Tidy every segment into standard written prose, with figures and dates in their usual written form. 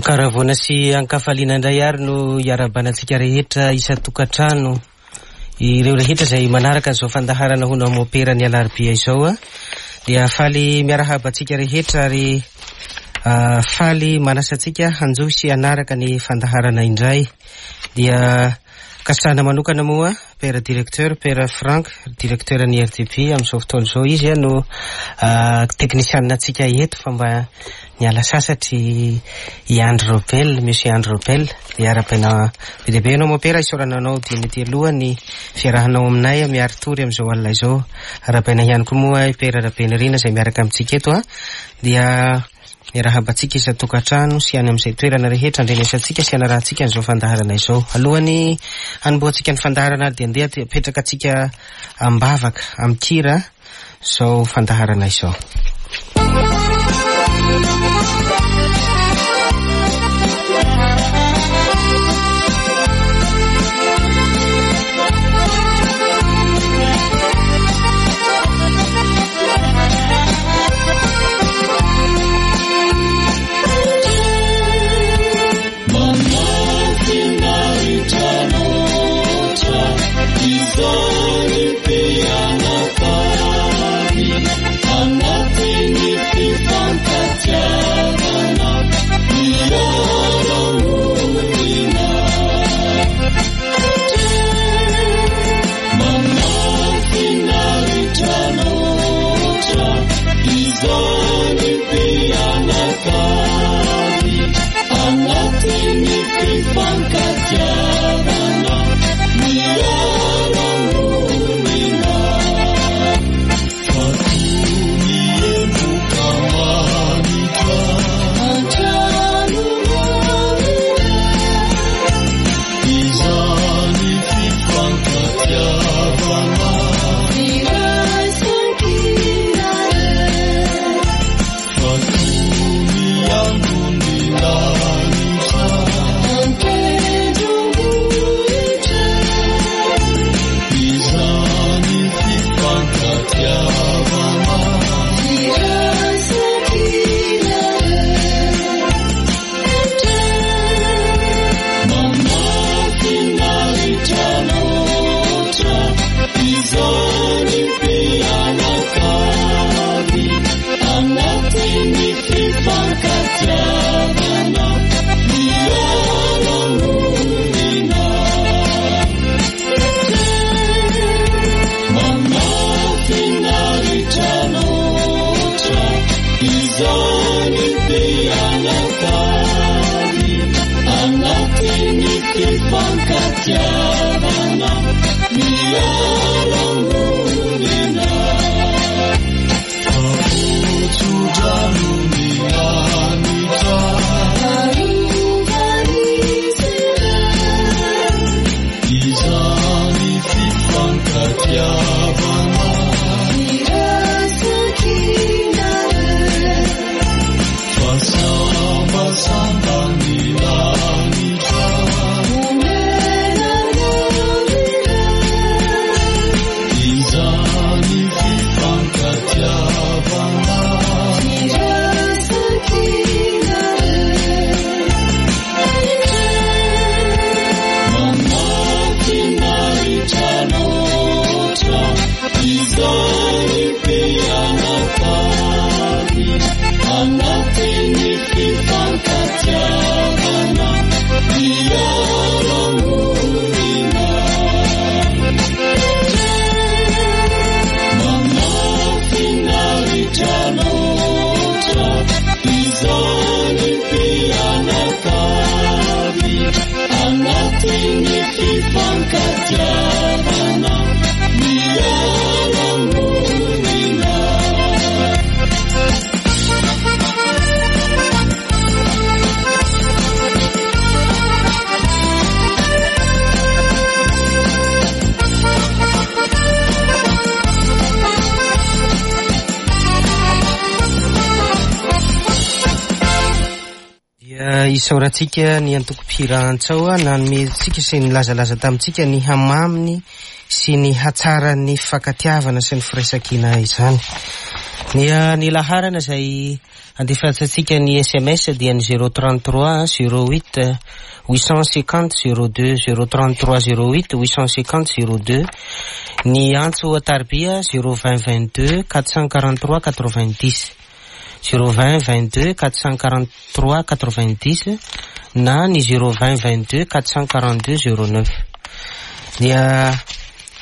Ankaravoana sy ankafaliana indray ary no iarahabana antsika rehetra isan-tokantrano, ireo rehetra izay manaraka an'izao fandaharana hono amin'ny Mopera ny alarobia izao. Dia faly miarahaba antsika rehetra ary faly manasa antsika hanjohy sy hanaraka ny fandaharana indray. Dia kasana manokana moa Père Directeur, Père Franck, Directeur ny RDB amin'izao fotoana izao izy no teknisianina antsika eto fa mba niala sasatra i Andry Robel, Monsieur Andry Robel. Dia arahabaina be dia be ianao Mopera, isaorana anao dieny ety aloha ny fiarahanao aminay miari-tory amin'izao alina izao. Arahabaina ihany koa moa i Père Rabenirina izay miaraka amintsika eto. Dia Miarahaba antsika isan-tokantrano sy any amin'izay toerana rehetra andrenesantsika sy anarahantsika an'izao fandaharana izao. Alohan'ny hanombohantsika ny fandaharana ary dia andeha apetraka antsika am-bavaka, amin-kira izao fandaharana izao. Dia isaorantsika ny antoko mpihira Antsao nanome antsika sy nilazalaza tamintsika ny hamaminy sy ny hatsaran'ny fifankatiavana sy ny firaisankina izany. Ny ny laharana izay andefasantsika ny sms dia ny 033 08 850 02, 033 08 850 02. Ny antso an-tarobia 020 22 443 90, 020 22 443 90 na ny 020 22 442 09. Dia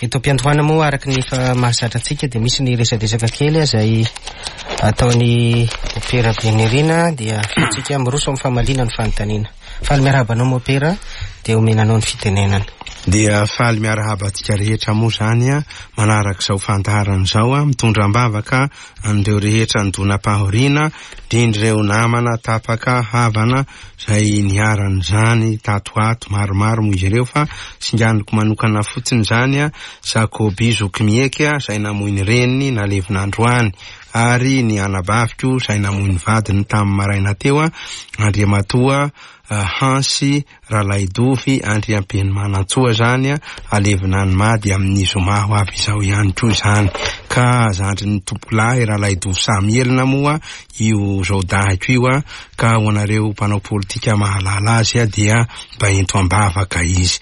eto am-piandohana moa, araka ny efa mahazatra antsika, dia misy ny resadresaka kely izay ataon'ny Mopera Benirina, dia afahantsika miroso amin'ny famaliana ny fanontaniana. Faly miarahaba anao Mopera, dia omena anao ny fitenenana. Dia faly miarahaba antsika rehetra moa izany manaraka izao fandaharana izao, mitondra am-bavaka an'ireo rehetra nidonam-pahoriana, indrindra ireo namana tapaka havana izay niharan'izany tato ho ato. Maromaro moa izy ireo fa singaniko manokana fotsiny izany Jacobi Zokimieky izay namoy ny reniny nalevina androany, ary ny anabaviko izay namoy ny vadiny tamin'ny maraina teo, Andriamatoa Hansy Ralaidovy Andriampenomanantsoa izany, alevina any Mady amin'ny zoma ho avy izao ihany koa izany. Ka zandrin'ny tompokolahy Ralaidovy Samielina moa io zaodahiko io, ka ho anareo mpanao politika mahalala azy dia mba ento am-bavaka izy.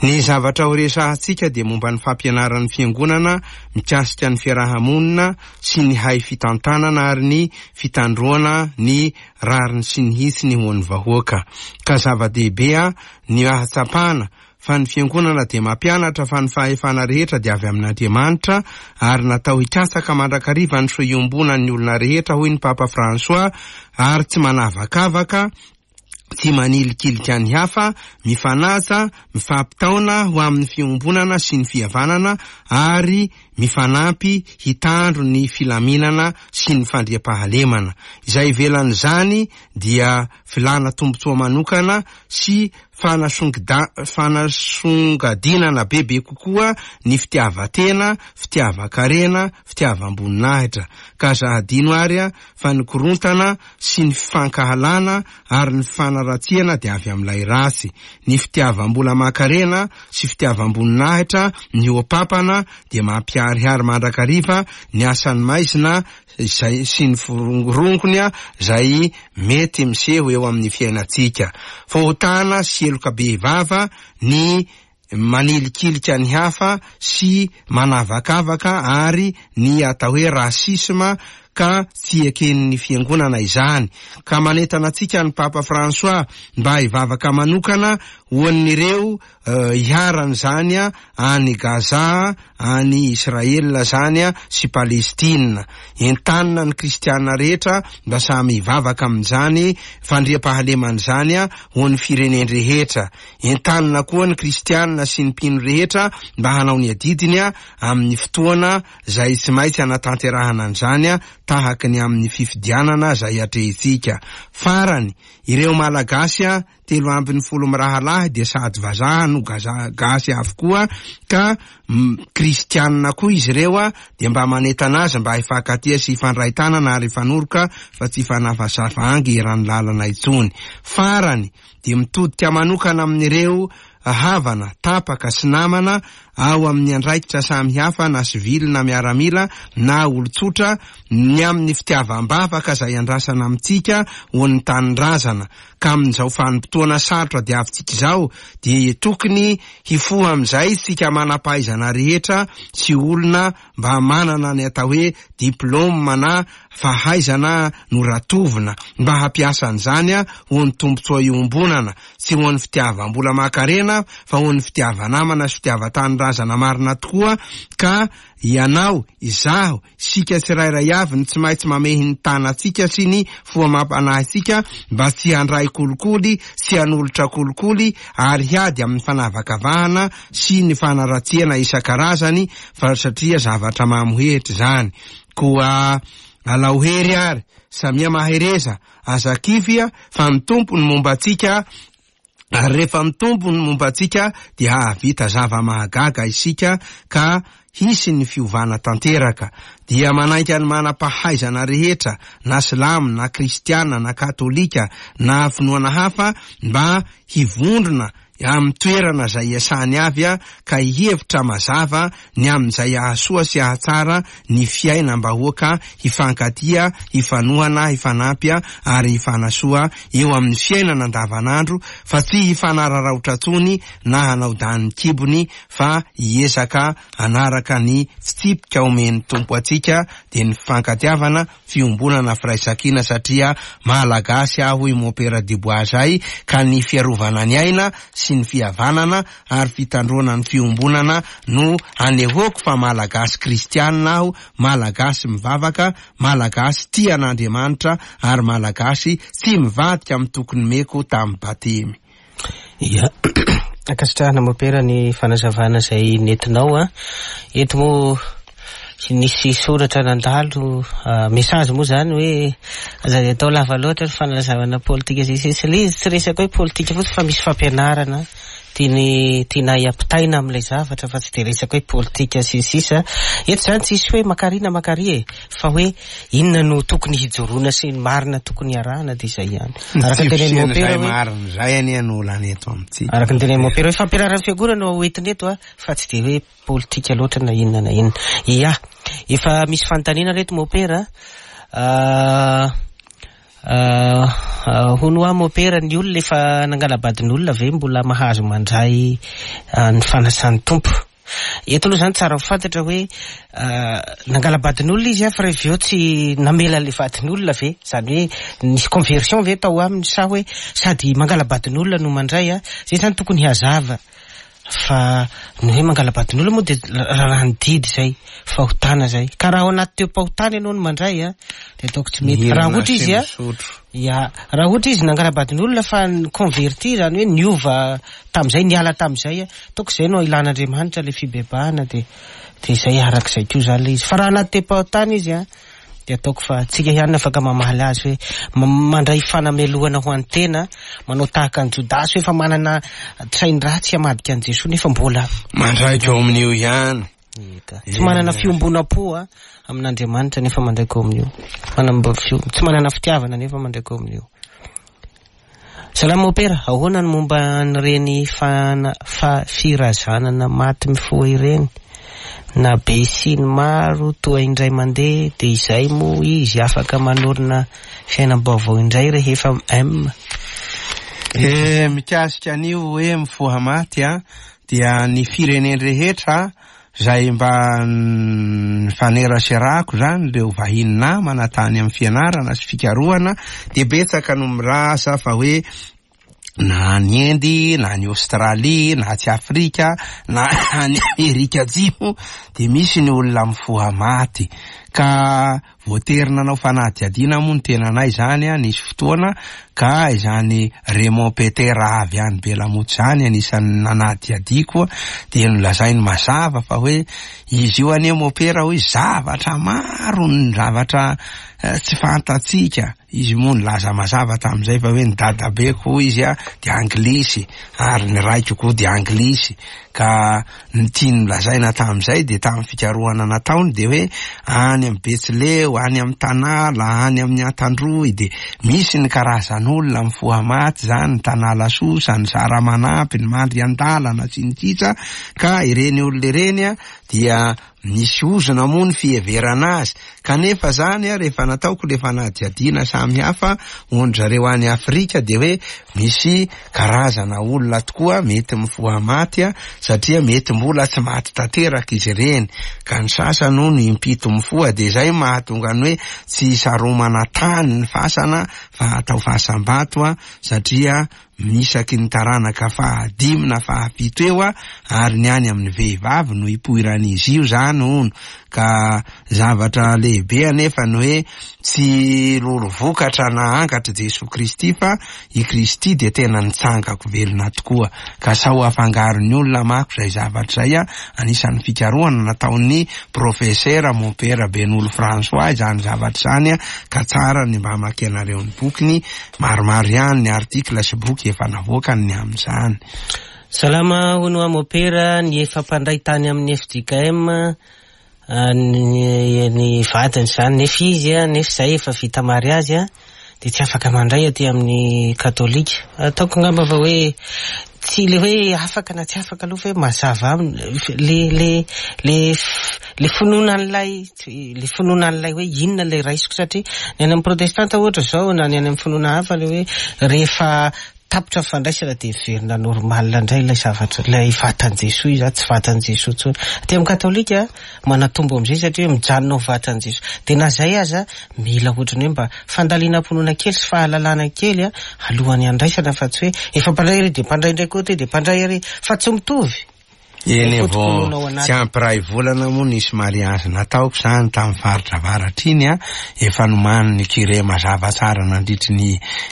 Ny zavatra ho resahantsika dia momba ny fampianaran'ny fiangonana mikasika ny fiaraha-monina sy ny hay fitantanana ary ny fitandroana ny rariny sy ny hitsiny ho an'ny vahoaka. Ka zava-dehibe ny ahatsapana fa ny Fiangonana dia mampianatra fa ny fahefana rehetra dia avy amin'Andriamanitra ary natao hikatsaka mandrakariva ny soa iombonan'ny olona rehetra hoy ny Papa François ary tsy manavakavaka, tsy manilikilika ny hafa, mifanaja, mifampitaona ho amin'ny fiombonana sy ny fihavanana ary mifanampy hitandro ny filaminana sy ny fandriampahalemana. Izay ivelan'izany dia filàna tombontsoa manokana sy fanasongadinana bebe kokoa ny fitiavan-tena, fitiavan-karena, fitiavam-boninahitra. Ka aza hadino ary fa ny korontana sy ny fifankahalana ary ny fifanaratsiana dia avy amin'ilay ratsy. Ny fitiavam-bola aman-karena sy fitiavam-boninahitra mihoa-papana dia mampiharihary mandrakariva ny asan'ny maizina izay sy ny forongorongony izay mety miseho eo amin'ny fiainantsika. Fahotana sy heloka bevava ny manilikilika ny hafa sy manavakavaka ary ny atao hoe racisme ka tsy eken'ny fiangonana izany. Ka manentana antsika ny Papa François mba hivavaka manokana ho an'ireo iharan'izany any Gaza, any Israel izany sy Palestina. Entanina ny kristiana rehetra mba samy hivavaka amin'izany fandriampahalemana izany ho an'ny firenen-drehetra. Entanina koa ny kristiana sy ny mpino rehetra mba hanao ny adidiny amin'ny fotoana izay tsy maintsy hanatanterahana an'izany tahaka ny amin'ny fifidianana izay atrehintsika. Farany, ireo Malagasy 13 mirahalahy dia sady vazaha no gasy avokoa ka kristiana koa izy ireo dia mba manentana azy mba hifankatia sy hifandray tanana ary hifanoroka fa tsy hifanafasafa angy eran'ny lalana intsony. Farany, dia mitodika manokana amin'ireo havana, tapaka sy namana ao amin'ny andraikitra samihafa na sivily na miaramila na olon-tsotra ny amin'ny fitiavam-bavaka izay andrasana amintsika ho an'ny tanindrazana ka amin'izao vanim-potoana sarotra diavintsika izao dia tokony hifoha amin'izay isika manam-pahaizana rehetra sy olona mba manana ny atao hoe diplaoma na fahaizana noratovina mba hampiasa an'izany ho an'ny tombontsoa iombonana, tsy ho an'ny fitiavam-bola aman-karena fa ho an'ny fitiava-namana sy fitiavan-tanindrazana marina tokoa ka ianao, izaho, isika tsirairay avy no tsy maintsy mamehy ny tanantsika sy ny fo amam-panahintsika mba tsy handray kolikoly sy hanolotra kolikoly ary hiady amin'ny fanavakavahana sy ny fanaratsiana isan-karazany fa satria zavatra mamohehitra izany. Koa alao hery ary, samia mahereza, aza kivy fa ny Tompo no momba antsika, ary rehefa ny Tompo no momba antsika dia hahavita zava-mahagaga isika ka hisy ny fiovana tanteraka. Dia manainga ny manam-pahaizana rehetra, na silamo na kristiana na katolika na finoana hafa mba hivondrona. amin'ny toerana izay iasany avy ka hihevitra mazava ny amin'izay hahasoa sy hahatsara ny fiainam-bahoaka hifankatia, hifanohana, hifanampy ary hifanasoa eo amin'ny fiainana andavanandro fa tsy hifanararaotra intsony na hanao danin'ny kibony fa hiezaka hanaraka ny fitsipika omen'ny Tompo antsika dia ny fifankatiavana, fiombonana, firaisankina satria Malagasy aho hoy Mompera Dubois zay ka ny fiarovana ny aina sy ny fihavanana ary fitandroana ny fiombonana no anehoako fa Malagasy kristianina aho, Malagasy mivavaka, Malagasy tia an'Andriamanitra ary Malagasy tsy mivadika amin'ny toky nomeko tamin'ny batemy. Ia. Ankasitrahana Mopera ny fanazavana izay nentinao a. Eto moa nisy soratra nandalo, message moa izany hoe aza dia atao lava loatra ny fanazavana politika sy ny sisa. Ilay izy tsy resaka hoe politika fotsiny fa misy fampianarana tiany tianay ampitaina amin'ilay zavatra fa tsy dia resaka hoe politika sy ny sisa. Eto izany tsisy hoe makary na makary e, fa hoe inona no tokony hijoroana sy ny marina tokony hiarahana dia izay ihany. Ny Araka tsy ny tenenin'i fisian'izay Mopera hoe marina izay anie no olana eto amintsika. Araka ny tenenin'i Mopera hoe fampianaran'ny fiangonana no hoentina eto a, fa tsy dia hoe politika loatra na inona na inona. Ia, efa misy fanontaniana reto Mopera a. Hono hoa Mopera, ny olona efa nangala-badin'olona ve mbola mahazo mandray ny fanasan'ny Tompo? Eto aloha izany tsara ho fantatra hoe nangala-badin'olona izy fa rehefa avy eo tsy namela an'ilay vadin'olona ve? Izany hoe nisy conversion ve tao aminy sa hoe sady mangala-badin'olona no mandray? Izay izany tokony hazava. Fa ny hoe mangala-badin'olona moa dia raharahan'ny didy izay, fahotana izay. Ka raha ao anaty teo-pahotana ianao no mandray a, dia ataoko tsy mety. Raha Mihinana ohatra sy izy a, misotro. ya, raha ohatra izy nangala-badin'olona fa ni-convertir, izany hoe niova tamin'izay, niala tamin'izay a, ataoko izay no ilan'Andriamanitra ilay fibebahana dia dia izay arak'izay koa izany ilay izy. Fa raha anaty teo-pahotana izy a, Dia ataoko fa tsika ihany no afaka mamaly azy hoe mandray fanamelohana ho an'ny tena, manao tahaka an'i Jodasy hoe efa manana tsain-dratsy hamadika an'i Jesoa nefa mbola Mandraika ao amin'io ihany. Eka. Tsy manana fiombonam-po amin'Andriamanitra nefa mandraika ao amin'io. Manam-, tsy manana fitiavana nefa mandraika ao amin'io. Salama Mopera, ahoana ny momba an'ireny fana, fa, firazanana maty mifoha ireny? Na be sy ny maro toa indray mandeha dia izay moa izy afaka manorina fiainam-baovao indray rehefa M. Eh, mikasika an'io hoe mifoha maty an, dia ny firenen-drehetra Izay mba nifaneraserako izany ireo vahiny namana tany amin'ny fianarana sy fikarohana dia betsaka no milaza fa hoe na any Inde na any Australie na atsy Afrika na any Amerika Atsimo dia misy ny olona mifoha maty ka Voatery nanao fanadihadiana moa ny tenanay izany nisy fotoana ka izany Raymond Peter avy any Belamoty izany anisan'ny nanadihadiako dia nolazainy mazava fa hoe izy io anie mopera hoy zavatra maro ny zavatra tsy fantatsika. Izy moa nilaza mazava tamin'izay fa hoe ny dadabeko hoy izy dia anglisy ary ny raiko koa dia anglisy ka ny tiany nolazaina tamin'izay dia tamin'ny fikarohana nataony dia hoe any amin'ny Betsileo, any amin'ny Tanala, any amin'ny Antandroy dia misy ny karazan'olona mifoha maty izany, ny Tanala sosa, ny Zaramanampy, ny Mandriandalana sy ny sisa ka ireny olona ireny dia Misy ozona moa ny fiheverana azy, kanefa zany rehefa nataoko le fanadihadiana samy hafa hoan-dry zareo any Afrika dia hoe misy karazana olona tokoa mety mifoha maty satria mety mbola tsy maty tanteraka izy ireny, ka ny sasany hono impito mifoha dia izay mahatonga ny hoe tsy saromana tany ny fasana fa atao fasam-bato satria Misaky ny taranaka fahadimy na fahafito eo ary ny any amin'ny vehivavy no ipoiran'izy io izany hono ka zavatra lehibe anefa ny hoe tsy roro vokatra na angatra Jesoa Kristy fa i Kristy dia tena nitsangako velona tokoa ka sao afangaron'ny olona mako izay zavatra izay anisan'ny fikarohana nataon'ny Profesera Mompera Benolo François izany zavatra izany ka tsara ny mba hamakianareo ny bokiny Maromaro ihany ny article sy boky efa navoakany ny amin'izany. Salama hono hoa mopera, ny efa mpandray tany amin'ny fjkm ny ny vadiny izany nefa izy nefa izay efa vita mariazy dia tsy afaka mandray aty amin'ny katolika. Ataoko angamba fa hoe. Tsy le hoe afaka na tsy afaka aloha fa hoe mazava aminy le le le le finoana an'ilay le finoana an'ilay hoe inona ilay raisiko satria ny any amin'ny protestanta ohatra izao na ny any amin'ny finoana hafa le hoe rehefa tapitra ny fandraisana dia miverina normal indray ilay zavatra ilay vatan'i Jesoa izy tsy vatan'i Jesoa intsony. Aty amin'ny katolika manatombo amin'izay satria hoe mijanona ho vatan'i Jesoa. Dia na izay aza mila ohatran'ny hoe mba fandalinam-pinoana kely sy fahalalana kely alohan'ny handraisana fa tsy hoe efa mpandray ary dia mpandray indray koa ty dia mpandray ary fa tsy mitovy. Eny e, vao tsy ampy iray volana moa nisy mariazy nataoko izany tamin'ny faritra avaratra iny an, efa nomanin'ny curé mazava tsara nandritry ny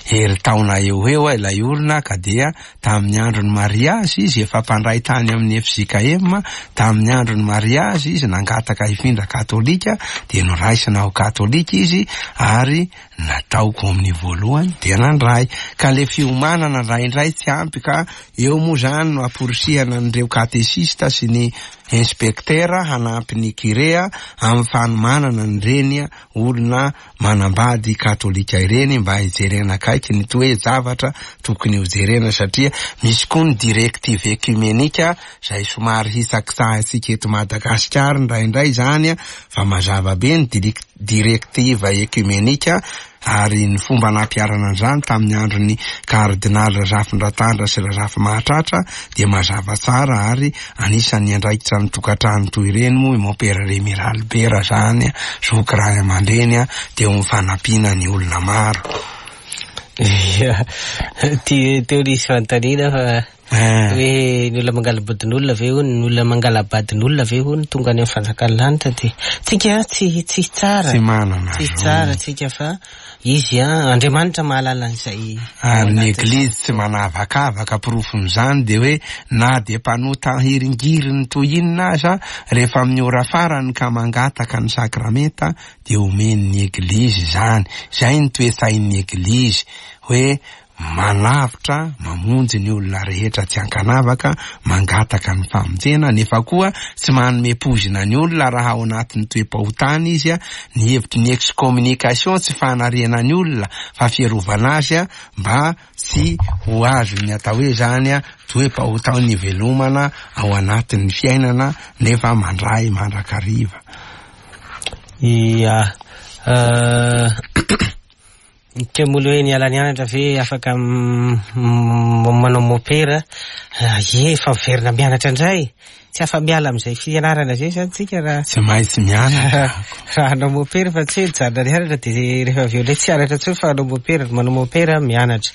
herintaona eo ho eo ilay olona ka dia Tamin'ny andron'ny mariazy izy efa mpandray tany amin'ny fjkm, tamin'ny andron'ny mariazy izy nangataka hifindra katolika dia noraisina ho katolika izy ary natao kominio voalohany dia nandray. Ka le fiomanana indraindray tsy ampy ka eo moa zany no amporisihana an'ireo katesista sy ny inspektera hanampy ny curé amin'ny fanomanana an'ireny olona manambady katolika ireny mba hijerena akaiky ny toe-javatra tokony ho jerena satria misy koa ny directive ecumenika izay somary hitsakitsahintsika eto Madagasikara indraindray izany fa mazava be ny directive ecumenika ary ny fomba nampiharana an'izany tamin'ny andron'ny kardinaly Razafindratandra sy Razafimahatratra dia mazava tsara ary Anisan'ny niandraikitra ny tokantrano toy ireny moa i Mompera Remy Ralibera zany, zoky ray aman-dreny teo amin'ny fanampiana ny olona maro. Ia, ty teo nisy fanontaniana fa Eh. hoe ny olona mangala-bodin'olona ve hono, ny olona mangala-badin'olona ve hono tonga any amin'ny fanjakan'ny lanitra dia tsika tsy tsy tsara. Tsy manana Tsy zo. tsara tsika fa Izy an, Andriamanitra mahalala an'izay ao Ary ny anatin'ny Eglizy tsy manavakavaka, porofon'izany dia hoe na dia mpanota hiringiriny toy inona aza, rehefa amin'ny ora farany ka mangataka ny sakramenta dia omen'ny Eglizy izany. Izay ny toe-tsain'ny Eglizy, hoe manavotra, mamonjy ny olona rehetra tsy ankanavaka, mangataka ny famonjena, nefa koa tsy manome poizina ny olona raha ao anatin'ny toe-pahotana izy, ny hevitry ny excommunication tsy fanariana ny olona fa fiarovana azy mba tsy ho azon'ny atao hoe izany toe-pahotana ivelomana ao anatin'ny fiainana nefa mandray mandrakariva. Ia. Teo moa le hoe niala nianatra ve afaka manao mopera? Ie, efa miverina mianatra indray. Tsy afa-miala amin'izay fianarana izay izany tsika raha Tsy maintsy mianatra. raha hanao mopera fa tsy hoe mijanona nianatra dia rehefa avy eo indray tsy hianatra intsony fa hanao mopera. Manao mopera mianatra.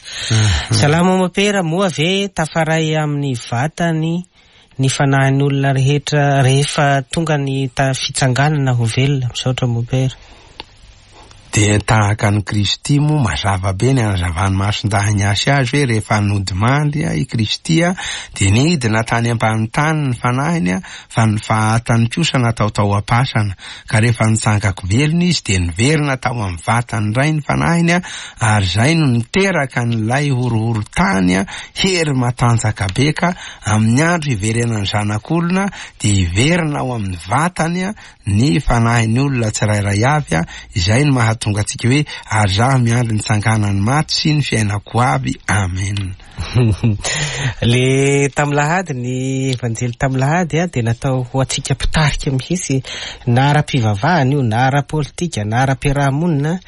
Salama mopera, moa ve tafaray amin'ny vatany ny fanahin'ny olona rehetra rehefa tonga ny fitsanganana ho velona? Misaotra mopera. Dia tahaka an'i Kristy moa, mazava be ny anazavan'i Masindahy Ignace azy hoe rehefa nodimandry i Kristy dia nidina tany ambany tany ny fanahiny fa ny fahatany kosa natao tao am-pasana. Ka rehefa nitsangako velona izy dia niverina tao amin'ny vatany indray ny fanahiny ary izay no niteraka an'ilay horohorontany hery matanjaka be ka amin'ny andro hiverenan'ny Zanak'olona dia hiverina ao amin'ny vatany ny fanahin'ny olona tsirairay avy, izay no mahatonga antsika hoe ary zaho miandry ny tsanganan'ny maty sy ny fiainako avy, amen. Le tamin'ny lahady, ny evanjely tamin'ny lahady dia natao ho antsika mpitarika mihitsy, na ara-pivavahana io, na ara-politika, na ara-piarahamonina,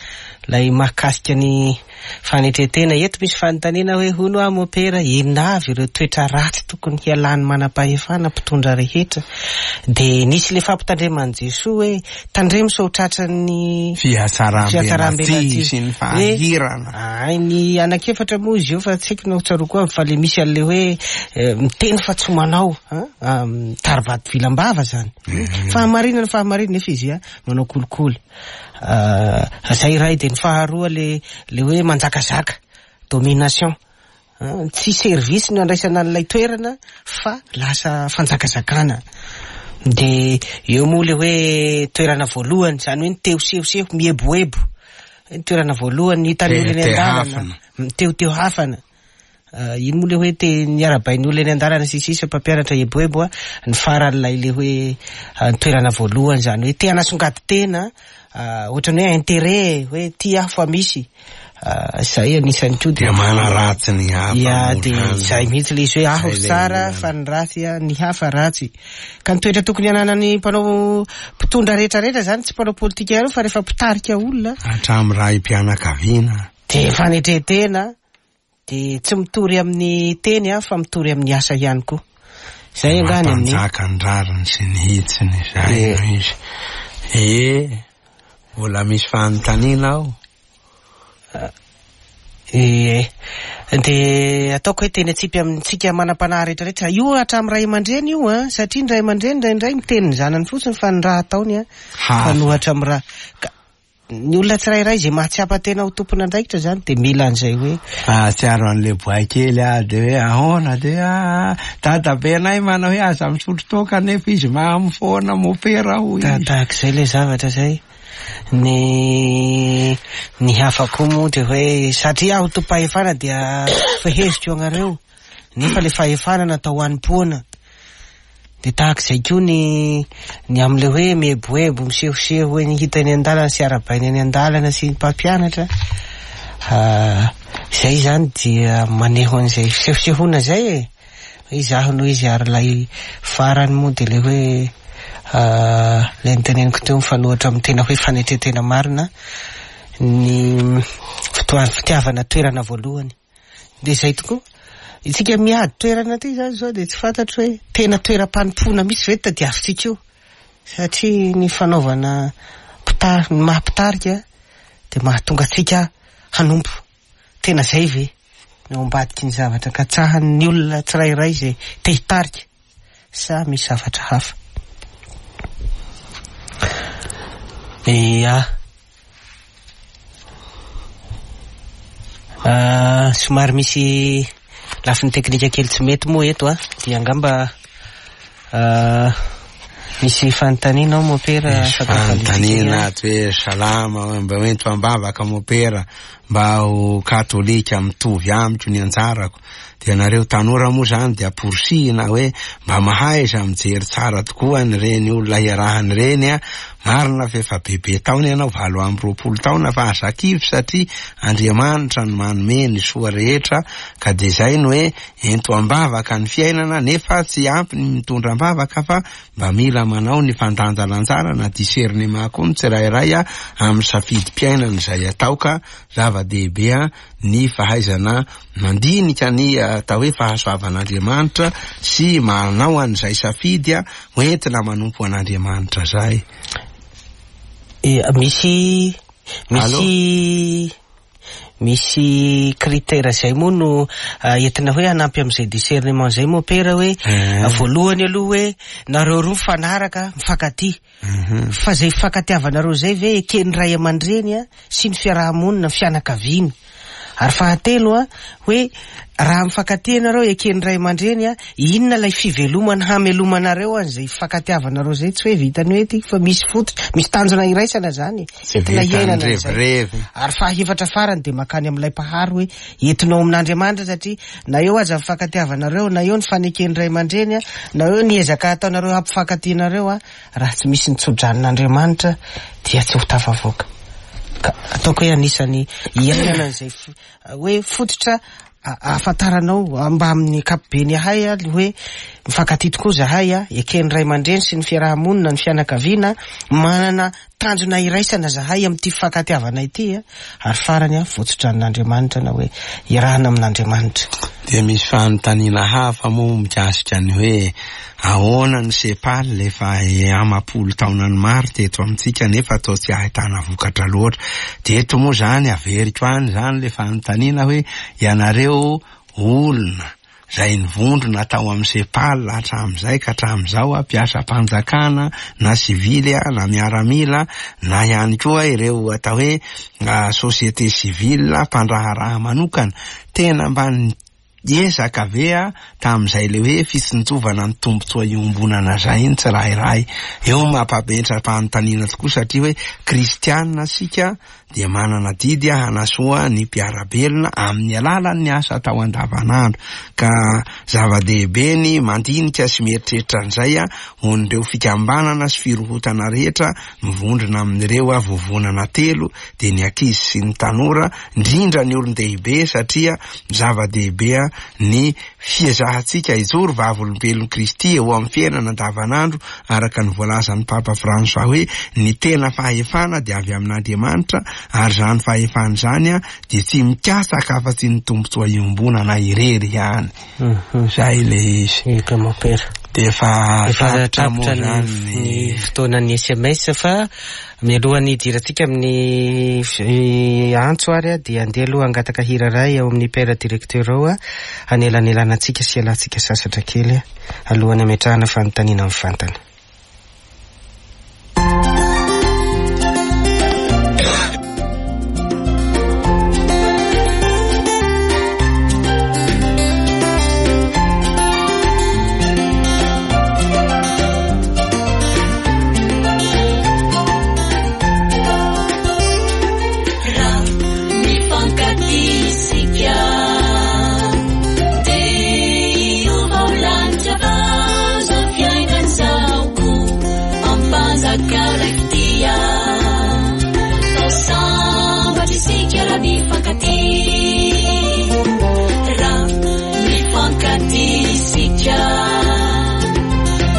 ilay mahakasika ny Fanetren-tena, eto misy fanontaniana hoe hono aho mopera, inona avy ireo toetra ratsy tokony hialan'ny manam-pahefana mpitondra rehetra? Dia nisy ilay fampitandreman'i Jesoa hoe tandremo sao tratran'ny fihatsarambelatsihy sy ny fahahirana. Hay ny anankiefatra moa izy io fa tsy haiko na ho tsaroako avy fa ilay misy an'ilay hoe miteny fa tsy manao, mitari-bato vilam-bava izany. Fahamarinana fahamarinana nefa izy manao kolikoly. Zay iray dia ny faharoa le le hoe manjakazaka, domination. Tsy service no andraisana an'ilay toerana fa lasa fanjakazakana. Dia eo moa le hoe toerana voalohany, izany hoe ny te ho sehoseho, mieboebo. Ny toerana voalohany hitan'ny olona eny an-dalana, mitehoteho hafana. Iny moa le hoe te niarabain'ny olona eny an-dalana sy sisa mpampianatra eboebo a, ny faran'ilay le hoe ny toerana voalohany izany hoe te hanasongady tena ohatran'ny hoe intérêt hoe ty aho fa misy. Izay anisany koa dia manaratsy ny hafa. Ya, dia izay mihitsy ilay izy hoe aho tsara fa ny ratsy ny hafa ratsy. Ka ny toetra tokony hananan'ny mpanao mpitondra rehetra rehetra izany tsy mpanao politika ihany fa rehefa mpitarika olona. Hatramin'ny raim-pianakaviana. Dia fanetren-tena, dia tsy mitory amin'ny teny fa mitory amin'ny asa ihany koa. Izay angaha ny amin'ny. Mampanjaka ny rariny sy ny hitsiny izay no izy. Ee, mbola misy fanontaniana ao. Ie. Dia ataoko hoe teny atsipy amintsika manam-panahy rehetra rehetra. Io hatramin'ny ray aman-dreny io an, satria ny ray aman-dreny indraindray miteny ny zanany fotsiny fa ny raha ataony an, fanohatra amin'ny raha. Ka ny olona tsirairay izay mahatsiapa tena ho tompon'andraikitra izany dia mila an'izay hoe. Mahatsiaro an'ilay boay kely aho dia hoe ahoana dia hoe aa dadabenay manao hoe aza misotro toaka nefa izy mamo foana mopera hoy izy. Tahak'izay ilay zavatra izay. Ny ny hafa koa moa dia hoe satria aho tompahefana dia feheziko anareo nefa le fahefana natao ho hanompoana. Dia tahaka izay koa ny ny amin'ilay hoe mieboebo, misehoseho eny hita eny an-dalana sy arahabaina eny an-dalana sy ny mpampianatra. Izay izany dia maneho an'izay fisehosehoana izay e. Hoe izaho no izy ary ilay farany moa dia ilay hoe ilay noteneniko teo mifanohitra amin'ny tena hoe fanetren-tena marina ny fotoa- fitiavana toerana voalohany. Dia izay tokoa. Isika miady toerana aty izany izao dia tsy fantatro hoe tena toeram-panompoana mihitsy ve no tadiavintsika io? Satria ny fanaovana mpitar- ny maha mpitarika dia mahatonga antsika hanompo. Tena izay ve no ao ambadiky ny zavatra katsahan'ny olona tsirairay izay te hitarika sa misy zavatra hafa? Ia. Ah, somary misy lafiny teknika kely tsy mety moa eto a, dia angamba ah, misy fanontaniana ao mopera. Misy fanontaniana ato hoe salama, mba hoento am-bavaka mopera. Mba ho katolika mitovy amiko ny anjarako. Dia nareo tanora moa zany dia amporisihina hoe mba mahaiza mijery tsara tokoa an'ireny olona iarahana ireny a! Marina fa efa bebe taona ianao, 28 taona, fa aza kivy satria Andriamanitra no manome ny soa rehetra ka dia izay no hoe ento am-bavaka ny fiainana nefa tsy ampy ny mitondra am-bavaka fa Mba mila manao ny fandanjalanjana na discernement koa ny tsirairay amin'ny safidim-piainana izay atao ka zava-dehibe ny fahaizana mandinika ny atao hoe fahasoavan'Andriamanitra sy manao an'izay safidy hoentina manompo an'Andriamanitra izay. Misy misy Misy critère zay moa no entina hoe hanampy amin'izay discernement zay moa pera hoe voalohany aloha hoe nareo roa mifanaraka, mifankatia. Fa zay fifankatiavanareo zay ve eken'ny ray aman-dreny sy ny fiaraha-monina, ny fianakaviana. Ary fahatelo a, hoe raha mifankatia ianareo eken'ny ray aman-dreny a, inona ilay fivelomana hamelomanareo an'izay fifankatiavanareo zay, tsy hoe vitan'ny hoe ty fa misy fototra, misy tanjona iraisana zany e. Tsy vitan'ny revirevy. Ary fahefatra farany dia mankany amin'ilay Mpahary hoe entinao amin'Andriamanitra satria na eo aza ny fifankatiavanareo, na eo ny faneken'ny ray aman-dreny, na eo ny ezaka ataonareo hampifankatia anareo, raha tsy misy ny tsodranon'Andriamanitra dia tsy ho tafavoaka. Ka ataoko hoe anisan'ny iainana an'izay hoe fototra ahafantaranao mba amin'ny ankapobeny ahay ny hoe mifankatia tokoa zahay, eken'ny ray aman-dreny sy ny fiaraha-monina, ny fianakaviana, manana Tanjona iraisana zahay amin'ity fifankatiavana ity a! Ary farany a, votsotranon'Andriamanitra na hoe iarahana amin'Andriamanitra. Dia misy fanontaniana hafa moa mikasika ny hoe ahoana ny Sepal efa amam-polo taonany maro teto amintsika nefa toa tsy ahitana vokatra loatra. Dia eto moa izany averiko any izany ilay fanontaniana hoe ianareo olona izay nivondrona tao amin'ny Sepal hatramin'izay ka hatramin'izao, mpiasam-panjakana na sivily na miaramila na ihany koa ireo atao hoe société civile mpandraharaha manokana, tena mba. ezaka ve tamin'izay ilay hoe fitsinjovana ny tombontsoa iombonana izay ny tsirairay? Eo no mampametra-panontaniana tokoa satria hoe kristiana isika dia manana adidy hanasoa ny mpiara-belona amin'ny alalan'ny asa atao andavanandro. Ka zava-dehibe ny mandinika sy mieritreritra an'izay ho an'ireo fikambanana sy firohotana rehetra mivondrona amin'ireo vovonana telo dia ny ankizy sy ny tanora, indrindra ny olon-dehibe satria zava-dehibe ny fiezahantsika hijoro vavolombelon'i Kristy eo amin'ny fiainana andavanandro araka ny voalazan'ny Papa François hoe ny tena fahefana dia avy amin'Andriamanitra ary izany fahefana izany dia tsy mikatsaka afa-tsy ny tombontsoa iombonana irery ihany. Izay ilay izy. Eka mompera. Dia efa Efa tapitra moa tapitra ny izany ny fotoanan'ny SMS fa mialohan'ny hidirantsika amin'ny antso ary dia andeha aloha hangataka hira iray ao amin'ny père directeur ao hanelanelanantsika sy hialantsika sasatra kely alohan'ny hametrahana fanontaniana mivantana. Raha mifankatia isika dia hiova ho lanitra vao izao fiainana izao koa ampanjaka ilay fitia. Fa sambatra isika raha mifankatia. Raha mifankatia isika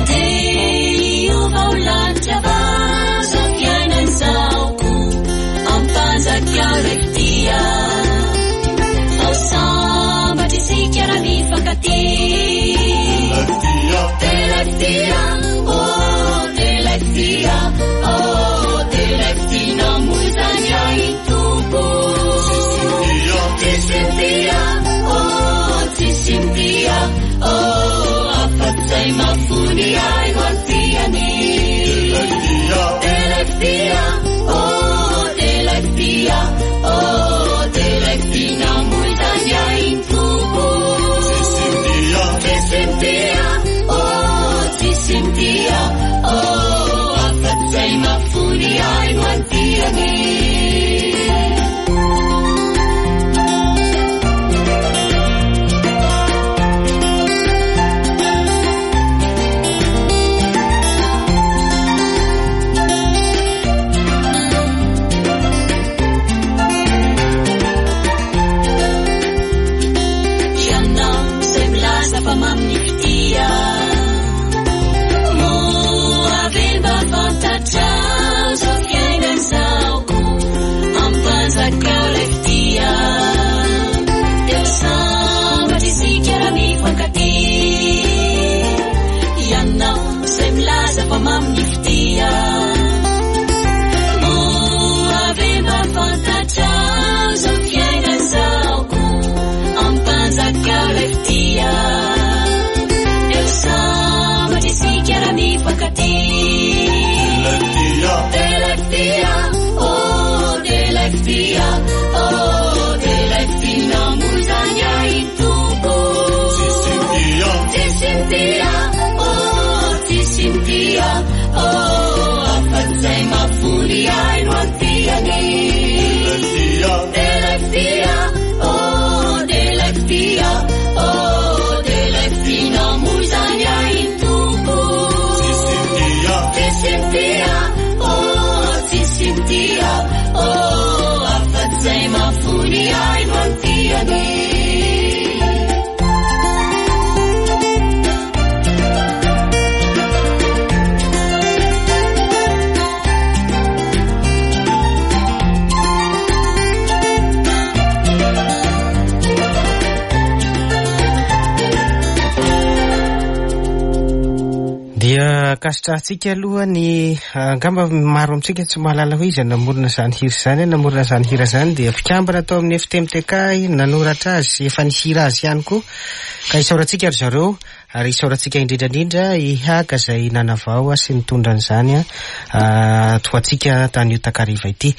dia hiova ho lanitra vao izao fiainana izao koa ampanjaka ilay fitia. Fa sambatra isika raha mifankatia. Ilay fitia, oh, ilay fitia, oh, ilay fitia namoizany ahy Tompo. Tsisy mitia, oh, tsisy mitia, oh, afa-tsy izay mahafoy ahy ho antiany. Ilay fitia, oh, ilay fitia, oh, ilay fitia namoizany ahy Tompo. Tsisy mitia, oh, tsisy mitia, oh, afa-tsy izay mahafoy ahy ho antiany. Ianao izay milaza fa mamy ny fitia, moa ve mba fantatrao izao fiainana izao koa ampanjakao ilay fitia. Dia ho sambatra isika raha mifankatia. Ianao izay milaza fa mamy ny fitia, moa ve mba fantatrao izao fiainana izao koa ampanjakao ilay fitia. Dia ho sambatra isika raha mifankatia. Ilay fitia, oh, ilay fitia, oh, ilay fitia namoizany ahy Tompo. Tsisy mitia, oh, tsisy mitia, oh, afa-tsy izay mahafoy ahy no antiany. Ilay fitia, oh, ilay fitia, oh, ilay fitia namoizany ahy Tompo. Tsisy mitia, oh, tsisy mitia, oh, afa-tsy izay mahafoy ahy no antiany. Dia ankasitrahantsika aloha ny angamba maro amintsika tsy mahalala hoe iza namorona izany hira izany, namorona izany hira izany dia mpikambana tao amin'ny FTMTK nanoratra azy, efa nihira azy ihany koa. Ka isaorantsika ry zareo Ary isaorantsika indrindra indrindra i Haga izay nanavao sy nitondra an'izany ho antsika tamin'io takariva ity.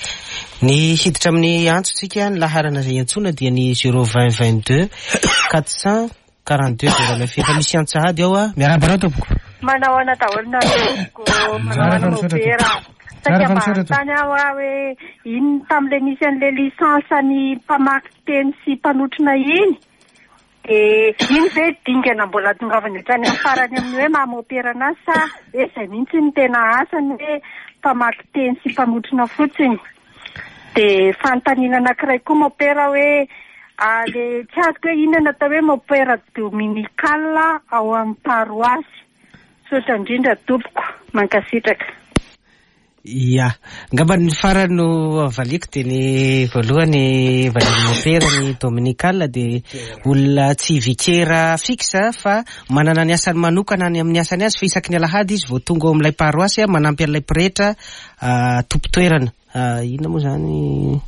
Ny hiditra amin'ny antsontsika, ny laharana izay iantsoana dia ny 020 22 442 09. Efa misy antso sahady ao. Miarahaba anao tompoko. Manao ahoana daholo nareo tompoko? Manao ahoana mopera? Saika mba hanontany aho hoe inona tamin'ilay nisy an'ilay licence ny mpamaky teny sy mpanotrona iny? Dia iny ve dingana mbola tongavany hatrany amin'ny farany amin'ny hoe maha mopera anazy sa hoe izay mihitsy no tena asany hoe mpamaky teny sy mpanotrona fotsiny? Dia fanontaniana anankiray koa mopera hoe le tsy azoko hoe inona no atao hoe mopera dominical ao amin'ny paroasy? Misaotra indrindra tompoko. Mankasitraka. Ya. Angamba ny farany no valiako dia ny voalohany valian'ny mopera ny dominical dia olona tsy vikera fixe fa manana ny asany manokana any amin'ny asany azy fa isaky ny alahady izy vao tonga ao amin'ilay paroasy manampy an'ilay pretra tompon-toerana. Inona moa izany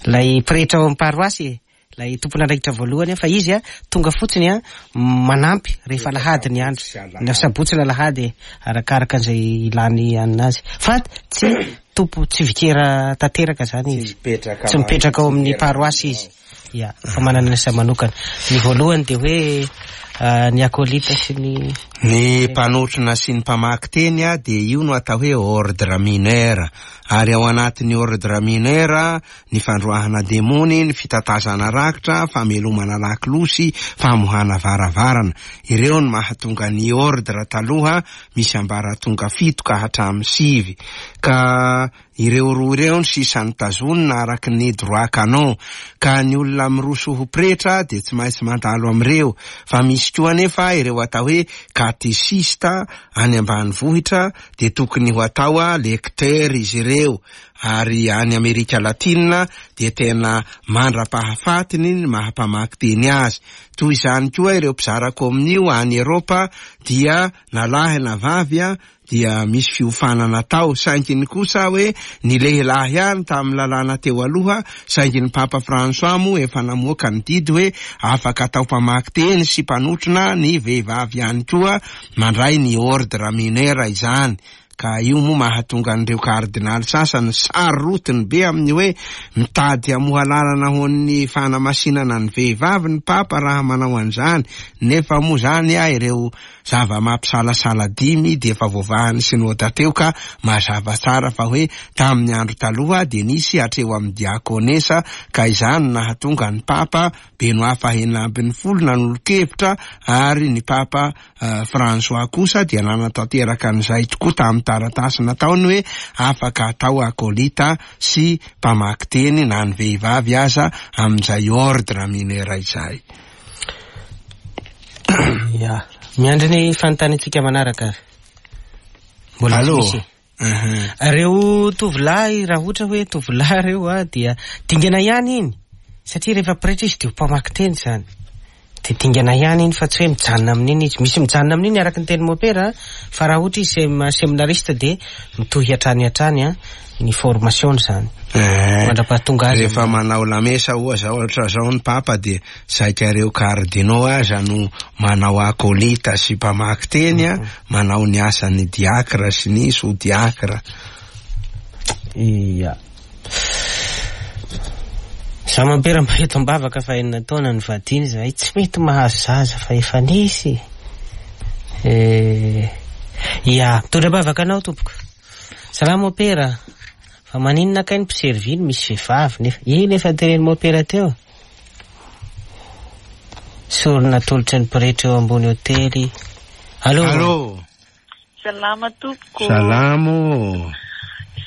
ilay pretra ao amin'ny paroasy e? Ilay tompon'andraikitra voalohany fa izy tonga fotsiny manampy rehefa alahady ny andro, na sabotsy na alahady e, arakaraka izay ilany anina azy. Fa tsy tompo, tsy vikera tanteraka zany izy. Tsy mipetraka ao amin'ny paroasy izy. Ya, fa manana ny asa manokana. Ny voalohany dia hoe ny acolyte sy ny. Ny mpanotrona sy ny mpamaky teny dia io no atao hoe ordre mineur. Ary ao anatin'ny ordre mineur ny fandroahana demony, ny fitatazana rakitra, famelomana lakolosy, famohana varavarana. Ireo no mahatonga ny ordre taloha misy ambaratonga fito ka hatramin'ny sivy. Ka ireo roa ireo no sisa notazonina araka ny droit canon. Ka ny olona miroso ho pretra dia tsy maintsy mandalo amin'ireo. Fa misy koa anefa ireo atao hoe katesista any ambanivohitra dia tokony ho atao lecteur izy ireo. Ary any Amerika Latina dia tena mandra-pahafatiny ny maha-mpamaky teny azy. Toy izany koa ireo mpizara kominio any Eropa dia na lahy na vavy dia misy fiofanana atao. Saingy ny kosa hoe ny lehilahy ihany tamin'ny lalàna teo aloha, saingy ny Papa François moa efa namoaka ny didy hoe afaka atao mpamaky teny sy mpanotrona ny vehivavy ihany koa mandray ny ordre mineur izany. Ka io moa mahatonga an'ireo kardinaly sasany sarotiny be amin'ny hoe mitady hamoha lalana ho an'ny fanamasinana ny vehivavy ny Papa raha manao an'izany, nefa moa izany ireo zava-mampisalasala dimy dia efa voavahan'ny Synoda teo ka mazava tsara fa hoe tamin'ny andro taloha dia nisy hatreo amin'ny diakonesa ka izany no nahatonga ny Papa Benoît fahenina ambin'ny folo nanolo-kevitra ary ny Papa François kosa dia nanatanteraka an'izay tokoa tamin'ny taratasy nataony hoe afaka atao akolita sy mpamaky teny na ny vehivavy aza amin'izay ordre mineur izay. Ya. Miandry ny fanontaniantsika manaraka ary. Mbola tsy Allô? misy. Ireo tovolahy, raha ohatra hoe tovolahy ireo a, dia dingana ihany iny. Satria rehefa pretra izy dia ho mpamaky teny izany. Dia dingana ihany iny fa tsy hoe mijanona amin'iny izy. Misy mijanona amin'iny araka ny tenin'i Mopera fa raha ohatra izy sem- seminariste dia mitohy hatrany hatrany a, ny formation-ny izany. Eh, Mandra-pahatonga azy Rehefa manao lamesa oa zao ohatra zao ny Papa dia saika ireo cardinaux aza no manao acolyte sy mpamaky teny a, manao ny asan'ny diacre sy ny sous-diacre. Ia. Za mampera mba eto am-bavaka fa enina taona nivadiana izahay tsy mety mahazo zaza fa efa nisy. Eh, ia, mitondra am-bavaka anao tompoko. Salama mopera. Fa maninona kay ny mpiservir no misy vehivavy nefa iny efa tenenin'i mopera teo. Sorona atolotry ny pretra eo ambony hotely. Allô. Allô. Salama tompoko. Salama ô.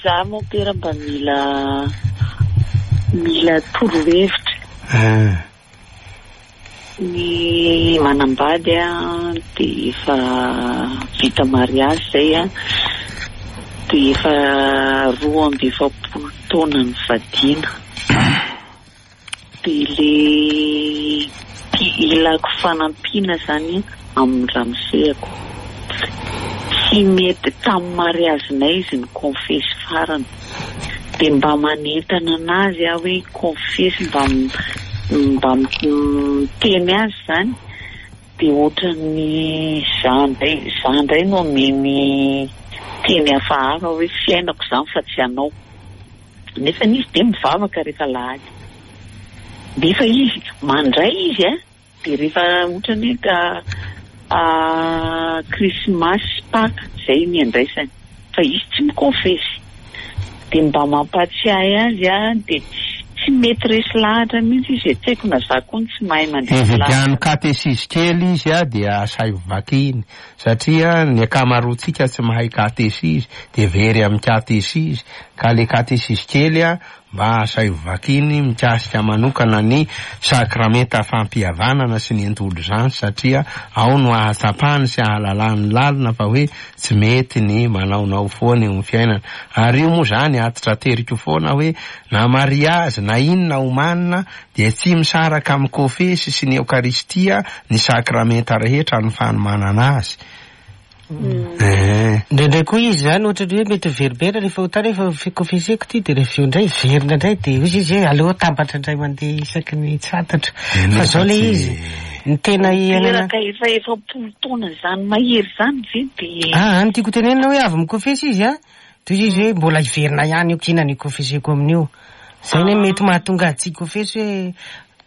Za mompera mba mila mila torohevitra. Ah. Ny manambady an dia efa vita mariazy zay an, dia efa 42 taona nivadiana. Dia le ilako fanampiana zany amin'ny ramosehako. Tsy mety tamin'ny mariazinay izy nikonfesy farany. Dia mba manentana anazy aho hoe hikonfesy mba mba miteny azy zany. Dia ohatran'ny za indray, za indray no omeny teny hafahafa hoe fiainako izany fa tsy anao. Nefa izy dia mivavaka rehefa alahady. Nefa izy, mandray izy an, dia rehefa ohatran'ny hoe ka krismasy sy paka, izay ny andraisany. Fa izy tsy mikonfesy. Dia mba mampahatsiahy azy aho dia tsy mety resy lahatra mihitsy izy e, tsy haiko na za koa no tsy mahay mandresy lahatra. Ividiano katesizy kely izy dia asaivo vakiny satria ny ankamaroantsika tsy mahay katesizy dia very amin'ny katesizy ka le katesizy kely Mba asaivo vakiny mikasika manokana ny sakramenta fampihavanana sy ny indolzansy satria ao no ahatsapany sy ahalalany lalina fa hoe tsy mety ny manaonao foana eo amin'ny fiainana. Ary io moa izany atitrateriko foana hoe na mariazy na inona omanina dia tsy misaraka amin'ny kofesy sy ny eokaristia ny sakramenta rehetra ny fanomanana azy. Eh. Indraindray koa izy izany ohatran'ny hoe mety miveriberina rehefa ho tany efa kofeseko ity dia rehefa avy eo indray miverina indray dia hoy izy hoe aleo atambatra indray mandeha isaky ny tsy fantatro. Fa izao ilay izy, ny tena iainana. Teraka efa 40 taona izany mahery izany ve dia. Ah, ny tiako tenenina hoe avy mikofesy izy an, dia hoy izy hoe mbola hiverina ihany io kina ny kofeseko amin'io. Izay ny mety mahatonga azy tsy hikofesy hoe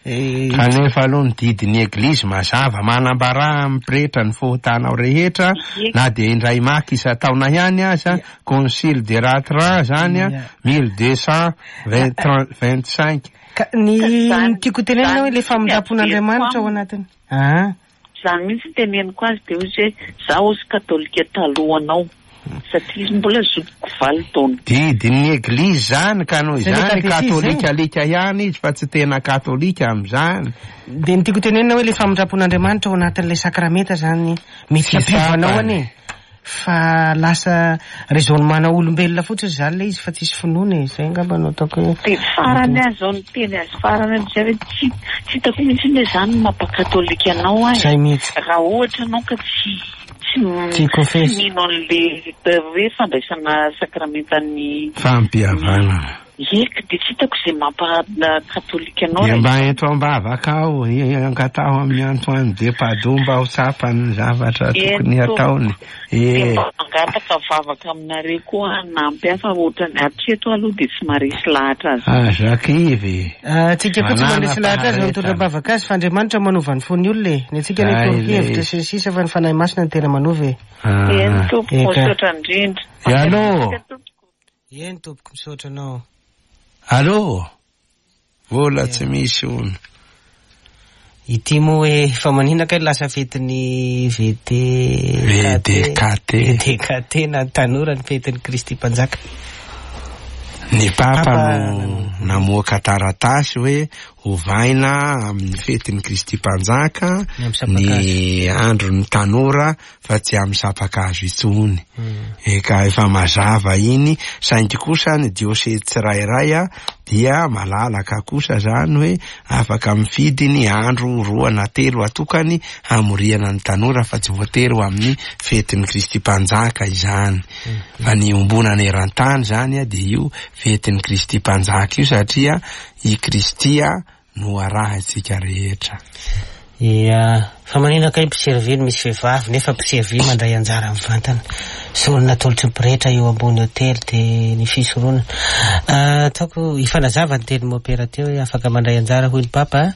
Kanefa aloha ny didin'ny Eglizy mazava, manambarà amin'ny pretra ny fahotanao rehetra, na dia indray maka isan-taona ihany aza, Concile de Latran zany an, 1225. Ka ny tiako tenenina hoe le famindram-pon'Andriamanitra ao anatiny. Ah. Zany mihitsy ny teneniko azy dia hoy izy hoe za hozy katolika talohanao satria izy mbola zokiko valo taona. Didin'ny eglizy izany ka noho izany katolika alika ihany izy fa tsy tena katolika amin'izany. Dia ny tiako tenenina hoe le famindram-pon'Andriamanitra ao anatin'ilay sakramenta zany mety hampiova anao anie. Fa lasa raisonnement-na olombelona fotsiny izany ilay izy fa tsisy finoana e, izay angamba no ataoko hoe. Dia farany aho izao niteny azy farany amin'izay hoe tsy tsy hitako mihitsy anie izany ny mampakatolika anao ahy. Izay mihitsy. Raha ohatra ianao ka tsy tsy Tsy tsy mino an'ilay hoe fandraisana sakramentan'ny Fampihavanana. Eka, dia tsy hitako izay mampa katolika anao Dia mba ento am-bavaka aho, angataho amin'i Antoine de Padoue mba ho tsapany ny zavatra tokony hataony. Dia mba mangataka vavaka aminareo koa hanampy ahy fa ohatran'ny hatreto aloha dia tsy maharesy lahatra azy. Aza kivy. Antsika koa tsy mandresy lahatra azy mitondra am-bavaka azy fa Andriamanitra manova ny fon'ny olona e. Ny antsika anie toro-kevitra sy ny sisa fa ny Fanahy Masina no tena manova e. Eny tompoko, misaotra indrindra. Allo. Eny tompoko misaotra anao. Allô! Vola tsy misy hono. Ity moa hoe fa maninona kay lasa fetin'ny VD VDKT VDKT na ny tanora ny fetin'ny Kristy Mpanjaka. Ny Papa no namoaka taratasy hoe ovaina amin'ny fetin'ny Kristy Mpanjaka ny andron'ny tanora fa tsy amin'ny sampan-kazo intsony. Eka efa mazava iny, saingy kosa ny diosezy tsirairay dia malalaka kosa zany hoe afaka mifidy ny andro roa na telo atokany hamoriana ny tanora fa tsy voatery ho amin'ny fetin'ny Kristy Mpanjaka izany. Fa ny iombonana eran-tany zany dia io fetin'ny Kristy Mpanjaka io satria i Kristy no arahintsika rehetra. Ia, fa maninona kay mpiservir misy vehivavy nefa mpiservir mandray anjara mivantana. Sorona atolotry ny pretra eo ambony hotely dia ny fisoronana. Ataoko hifanazava ny tenin'i Mopera teo hoe afaka mandray anjara hoy ny Papa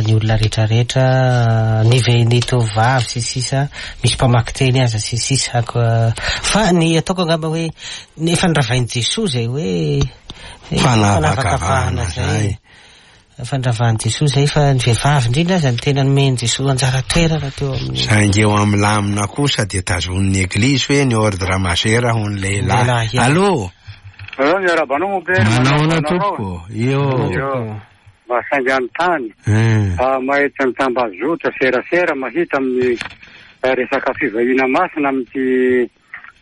ny olona rehetra rehetra, ny ve ny tovovavy sy ny sisa, misy mpamaky teny aza sy ny sisa. Fa ny ataoko angamba hoe efa noravain'i Jesoa izay hoe fanavakavahana izay. Fandravan'i Jesoa izay fa ny vehivavy indrindra aza no tena nomen'i Jesoa anjara toerana teo amin'ny. Saingy eo amin'ny lamina kosa dia tazonin'ny Eglizy hoe ny ordre majeur ho ny lehilahy. Allô? Allô, miarahaba anao mon père. Manahoana tompoko? Io. Mba saingy hanontany. Mahita ny tambazotra serasera mahita amin'ny resaka fivahina masina amin'ity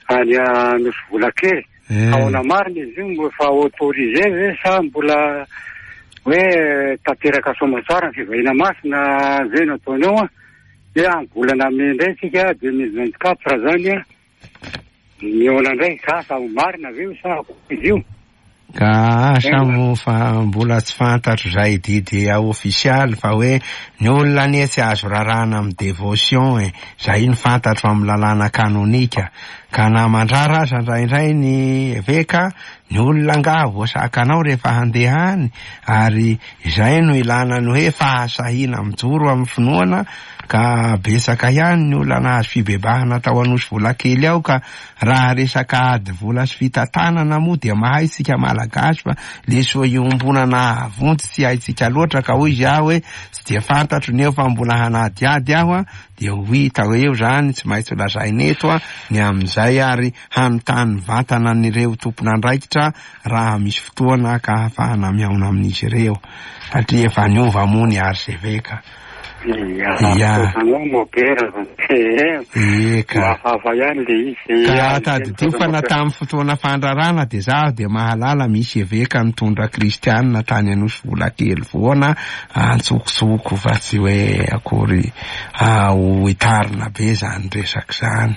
any Nosy Volakely. Ahoana marina izy io? Moa efa autorisé ve sa mbola hoe tanteraka soamantsara ny fivahina masina ve no ataony eo an? Dia amin'ny volana mey indray isika 2024 zany an, mihaona indray ka sa ho marina ve io sa akory izy io? Ka asa moa fa mbola tsy fantatro izay didy ofisialy fa hoe ny olona anie tsy azo raràna amin'ny devotion e, izay no fantatro amin'ny lalàna kanonika. Ka na mandrara aza indraindray ny eveka, ny olona angaha voasakanao rehefa handeha any, ary izay no ilana ny hoe fahasahiana mijoro amin'ny finoana, ka betsaka ihany ny olona nahazo fibebahana tao Anosivolakely ao ka Raha resaka ady vola sy fitantanana moa dia mahay isika Malagasy fa le soa iombonana hahavonjy tsy haintsika loatra ka hoy izy aho hoe tsy dia fantatro ny eo fa mbola hanadihady aho an dia ho hita eo izany tsy maintsy ho lazaina eto an ny amin'izay ary hanontany mivantana an'ireo tompon'andraikitra raha misy fotoana ka hahafahana mihaona amin'izy ireo satria efa niova moa ny archeveka. Ia. Eka. Hafahafa ihany le izy. Ka tadidio fa na tamin'ny fotoana fandrarana dia zaho dia mahalala misy eveka nitondra kristianina tany Anosivolakely foana antsokotsoko fa tsy hoe akory ho hitarina be izany resaka izany.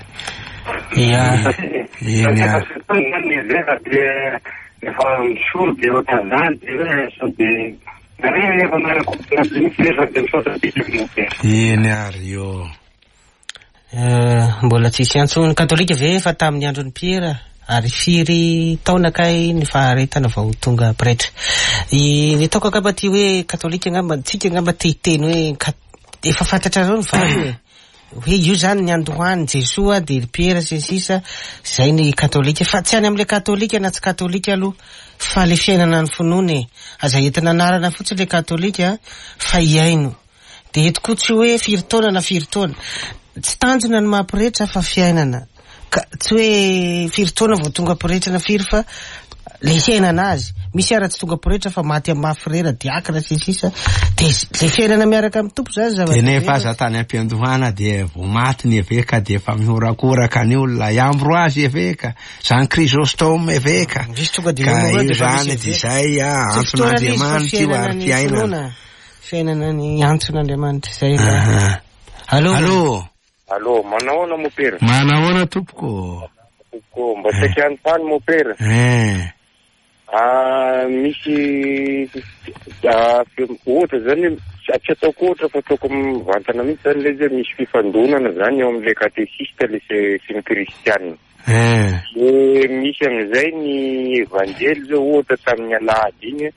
Ia. Eny ary. Efa misolo dia ohatran'izany dia hoe sao dia Eny ary ô. Mbola tsisy antso ny katolika ve efa tamin'ny andron'i Piera ary firy taona kay ny faharetana vao tonga pretra? Ny ataoko angamba ty hoe katolika angamba tsika angamba te hiteny hoe efa fantatrareo ny valiny e. Hoe io zany ny andohan'i Jesoa dia ry Piera sy ny sisa zay ny katolika fa tsy any amle katolika na tsy katolika aloha fa le fiainana ny finoana e! Aza entina anarana fotsiny le katolika fa hiaino dia eto koa tsy hoe firy taona na firy taona tsy tanjona ny maha pretra fa fiainana Ka tsy hoe firy taona vao tonga pretra na firy fa le fiainana azy. Misy ara tsy tonga pretra fa maty amin'ny maha frera, diakra sy ny sisa. Dia le fiainana miaraka amin'ny Tompo zany Dia zava-dehibe. nefa aza tany am-piandohana dia vao maty ny eveka dia efa mihorakoraka ny olona, i Ambroise eveka, Jean Chrysostome eveka. Misy tonga dia Ka eo io dia efa zany misy dia eveka. izay ah, Tsy fotoana le izy fa antson'Andriamanitra io fiainana ary ny fiainana. finoana. Fiainana ny antson'Andriamanitra izay mba. Aha. Allô? Allô? Allô, manahoana mopera? Manahoana tompoko? Tompoko, mba saika hanontany mopera. Eh. Ah, misy ah, ohatra zany tsy ataoko ohatra fa ataoko mivantana mihitsy zany le izy hoe misy fifandonana zany eo amin'ilay katesista le sy ny kristianina. Eh. De misy amin'izay ny evanjely zao ohatra tamin'ny alahady iny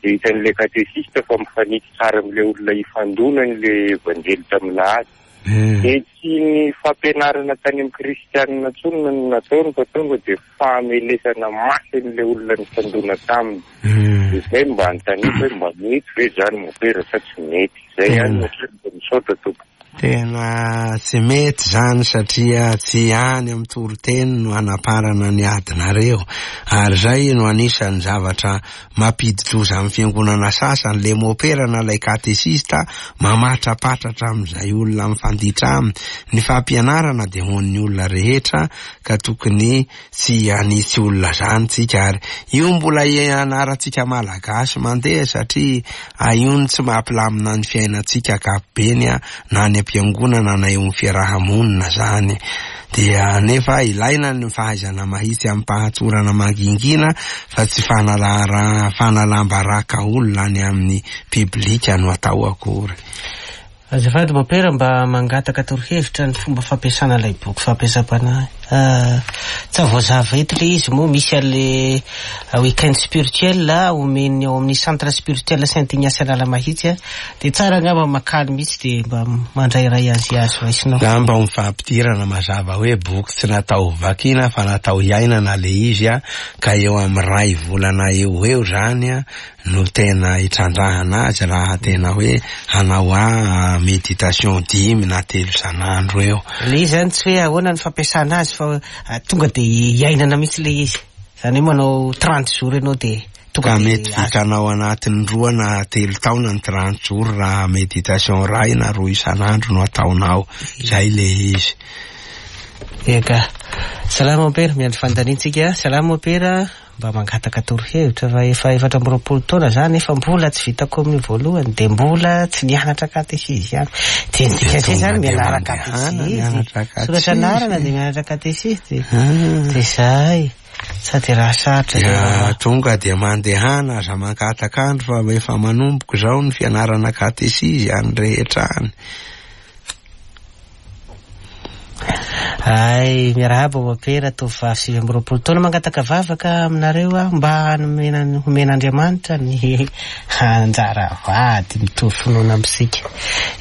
de hitan'ilay katesista fa mifanitsy tsara amin'ilay olona ifandonany le evanjely tamin'ny lahady. Dia tsy ny fampianarana tany amin'ny kristianina intsony no nataony fa tonga dia famelesana mafy an'ilay olona nifandona taminy. Dia izay no mba anontaniako hoe mba mety ve izany mopera sa tsy mety? Izay ihany no hatreo dia misaotra tompoko. Tena tsy mety izany satria tsy any amin'ny toriteny no hanaparana ny adinareo ary izay no anisan'ny zavatra Mampidi-doza amin'ny fiangonana sasany le mopera na ilay katesista mamatrapatratra amin'izay olona mifanditra aminy. Ny fampianarana dia ho an'ny olona rehetra ka tokony tsy hanitsy olona zany tsika ary io mbola ianarantsika malagasy mandeha satria io no tsy mampilamina ny fiainantsika ankapobeny na any am-piangonana na eo amin'ny fiaraha-monina zany. Dia nefa ilaina ny fahaizana mahitsy amim-pahatsorana mangingina fa tsy fanalam-baraka olona any amin'ny piblika no atao akory. Azafady Mopera mba mangataka torohevitra ny fomba fampiasana ilay boky fampiasam-panahy. Tsa voazava eto le izy moa misy an'le week-end spirituel omen'ny ao amin'ny centre spirituel Saint Ignace Analamahitsy. Dia tsara angamba makaly mihitsy dia mba mandrairay azy azo raisinao. Za mba ho fampidirana mazava hoe boky tsy natao ho vakiana fa natao hiainana le izy a, ka eo amin'ny ray volana eo ho eo zany a no tena hitrandrahana azy raha tena hoe hanao a méditation dimy na telo isan'andro eo. Le izy zany tsy hoe ahoana ny fampiasana azy fa tonga dia hiainana mihitsy le izy. Zany hoe manao 30 jours ianao dia Tonga Ka dia mety azo. vitanao anatin'ny roa na telo taona ny 30 jours raha méditation iray na roa isan'andro no ataonao. Izay le izy. Eka. Salama Mompera, miandry fanontaniantsika. Salama Mompera, mba mangataka torohevitra fa efa 24 taona za nefa mbola tsy vita communion voalohany dia mbola tsy nianatra katesizy ihany. Dia ny dikan'izay zany mianara katesizy. mianatra Soratra katesizy. anarana dia mianatra katesizy dia Ah. dia zay. Sa dia raha sarotra izay raharaha. Tonga dia mandehana, aza mangataka andro fa efa manomboka izao ny fianarana katesizy any rehetra any. Hay, miarahaba Mopera, tovovavy 29 taona mangataka vavaka aminareo aho mba hanomena homen'Andriamanitra ny anjara vady mitovy finoana amintsika.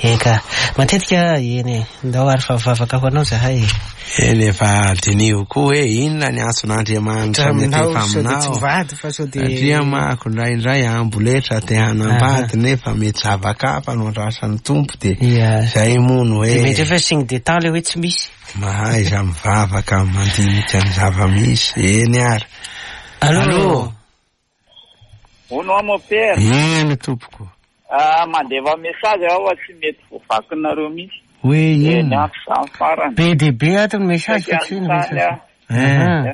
Eka, matetika eny e, ndao ary fa vavaka ho anao zahay e. Eny e, fa diniho koa hoe inona ny antson'Andriamanitra miantefa aminao. Satria manko indraindray amboletra te hanambady nefa mety zava-kafa no andrasan'ny Tompo dia izay moa no hoe. Dia mety hoe signe de temps ilay hoe tsy misy. Mahaiza mivavaka mandinika ny zava-misy. Eny ary. Allô. Hono aho mon père. Eny tompoko. Ah, mandefa message aho fa tsy mety voavakinareo mihitsy. Hoe inona? Ny ampy izany farany. Be dia be ato ny message fa tsy ny message. Eh.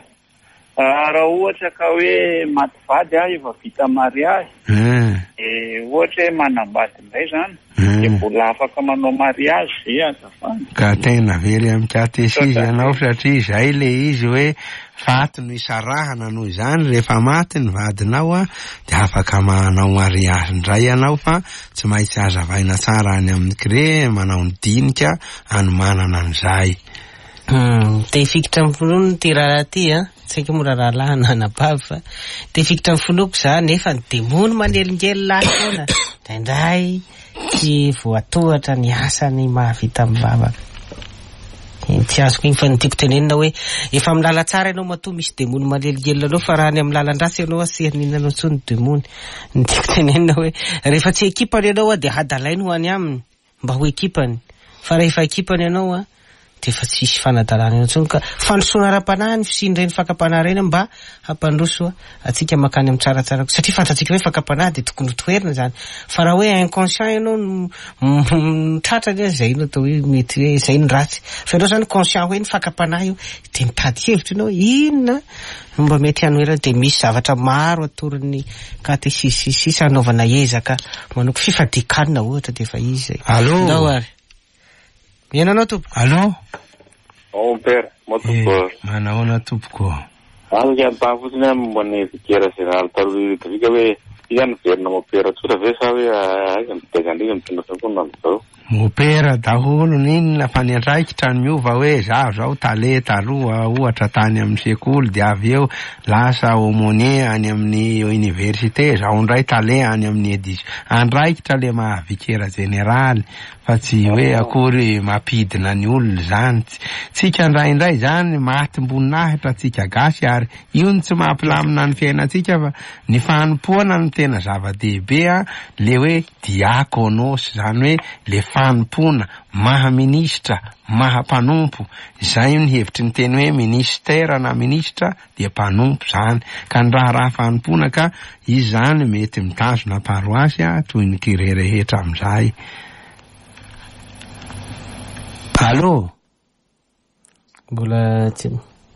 Ah, raha ohatra ka hoe maty vady aho efa vita mariage. Eh. Dia ohatra hoe manambady indray izany. Dia mbola afaka manao mariage ve azafady? Ka tena very amin'ny katesizy ianao satria izay le izy hoe faty no isarahana noho izany rehefa maty ny vadinao dia afaka manao mariage indray ianao fa tsy maintsy hazavaina tsara any amin'ny CRE manao ny dinika anomanana an'izay. Te hifikitra amin'ny finoana ity raharaha ity an, tsy haiko moa raha rahalahy na anabavy fa te hifikitra amin'ny finoako za nefa ny demony manelingelina ahy foana indraindray tsy voatohatra ny asany mahavita mivavaka. Iny tsy azoko iny fa ny tiako tenenina hoe efa amin'ny lalan-tsara ianao matoa misy demony manelingelina anao fa raha any amin'ny lalan-dratsy ianao tsy haninona anao intsony ny demony. Ny tiako tenenina hoe rehefa tsy ekipany ianao dia hadalainy ho any aminy. Mba ho ekipany. Fa rahefa ekipany ianao an, dia efa tsy hisy fanadalana eo intsony ka. Fandrosoana ara-panahy ny fisian'ireny fakam-panahy ireny mba hampandroso antsika mankany amin'ny tsaratsara kokoa. Satria fantatsika hoe fakam-panahy dia tokony ho toherina izany. Fa raha hoe inconscient ianao no tratra anie izay no atao hoe mety hoe izay no ratsy. Fa ianao izany conscient hoe ny fakam-panahy io dia mitady hevitra ianao hoe inona no mba mety hanoherana dia misy zavatra maro atoron'ny katesizy sy ny sisa hanaovana ezaka manoko fifadian-kanina ohatra dia efa izy izay. Allô? Ndao ary. Mihaino anao tompoko. Allô? Mon père, moi tompoko. Eh, manahoana tompoko? Azoko anontany fotsiny aho momba ny vicaire général taloha Ludovic hoe iza no miverina mopera tsotra ve sa hoe aiza no fitaizan-driza mitondra fiangonana amin'izao? Mopera daholo n'inona fa ny andraikitra no miova hoe zaho zao tale taloha ohatra tany amin'ny sekoly dia avy eo lasa aumônier any amin'ny université zaho indray tale any amin'ny édition andraikitra le maha vikera jeneraly fa tsy hoe akory mampidina ny olona izany tsika indraindray izany matim-boninahitra tsika gasy ary io no tsy mampilamina ny fiainantsika fa ny fanompoana no tena zava-dehibe a le hoe Diakonos, izany hoe le fanompoana, maha minisitra, maha mpanompo, izay ny hevitry ny teny hoe ministère na minisitra dia mpanompo izany, ka ny raharaha fanompoana ka izy izany mety mitazona paroasy toy ny curé rehetra amin'izay. Allô? Mbola tsy.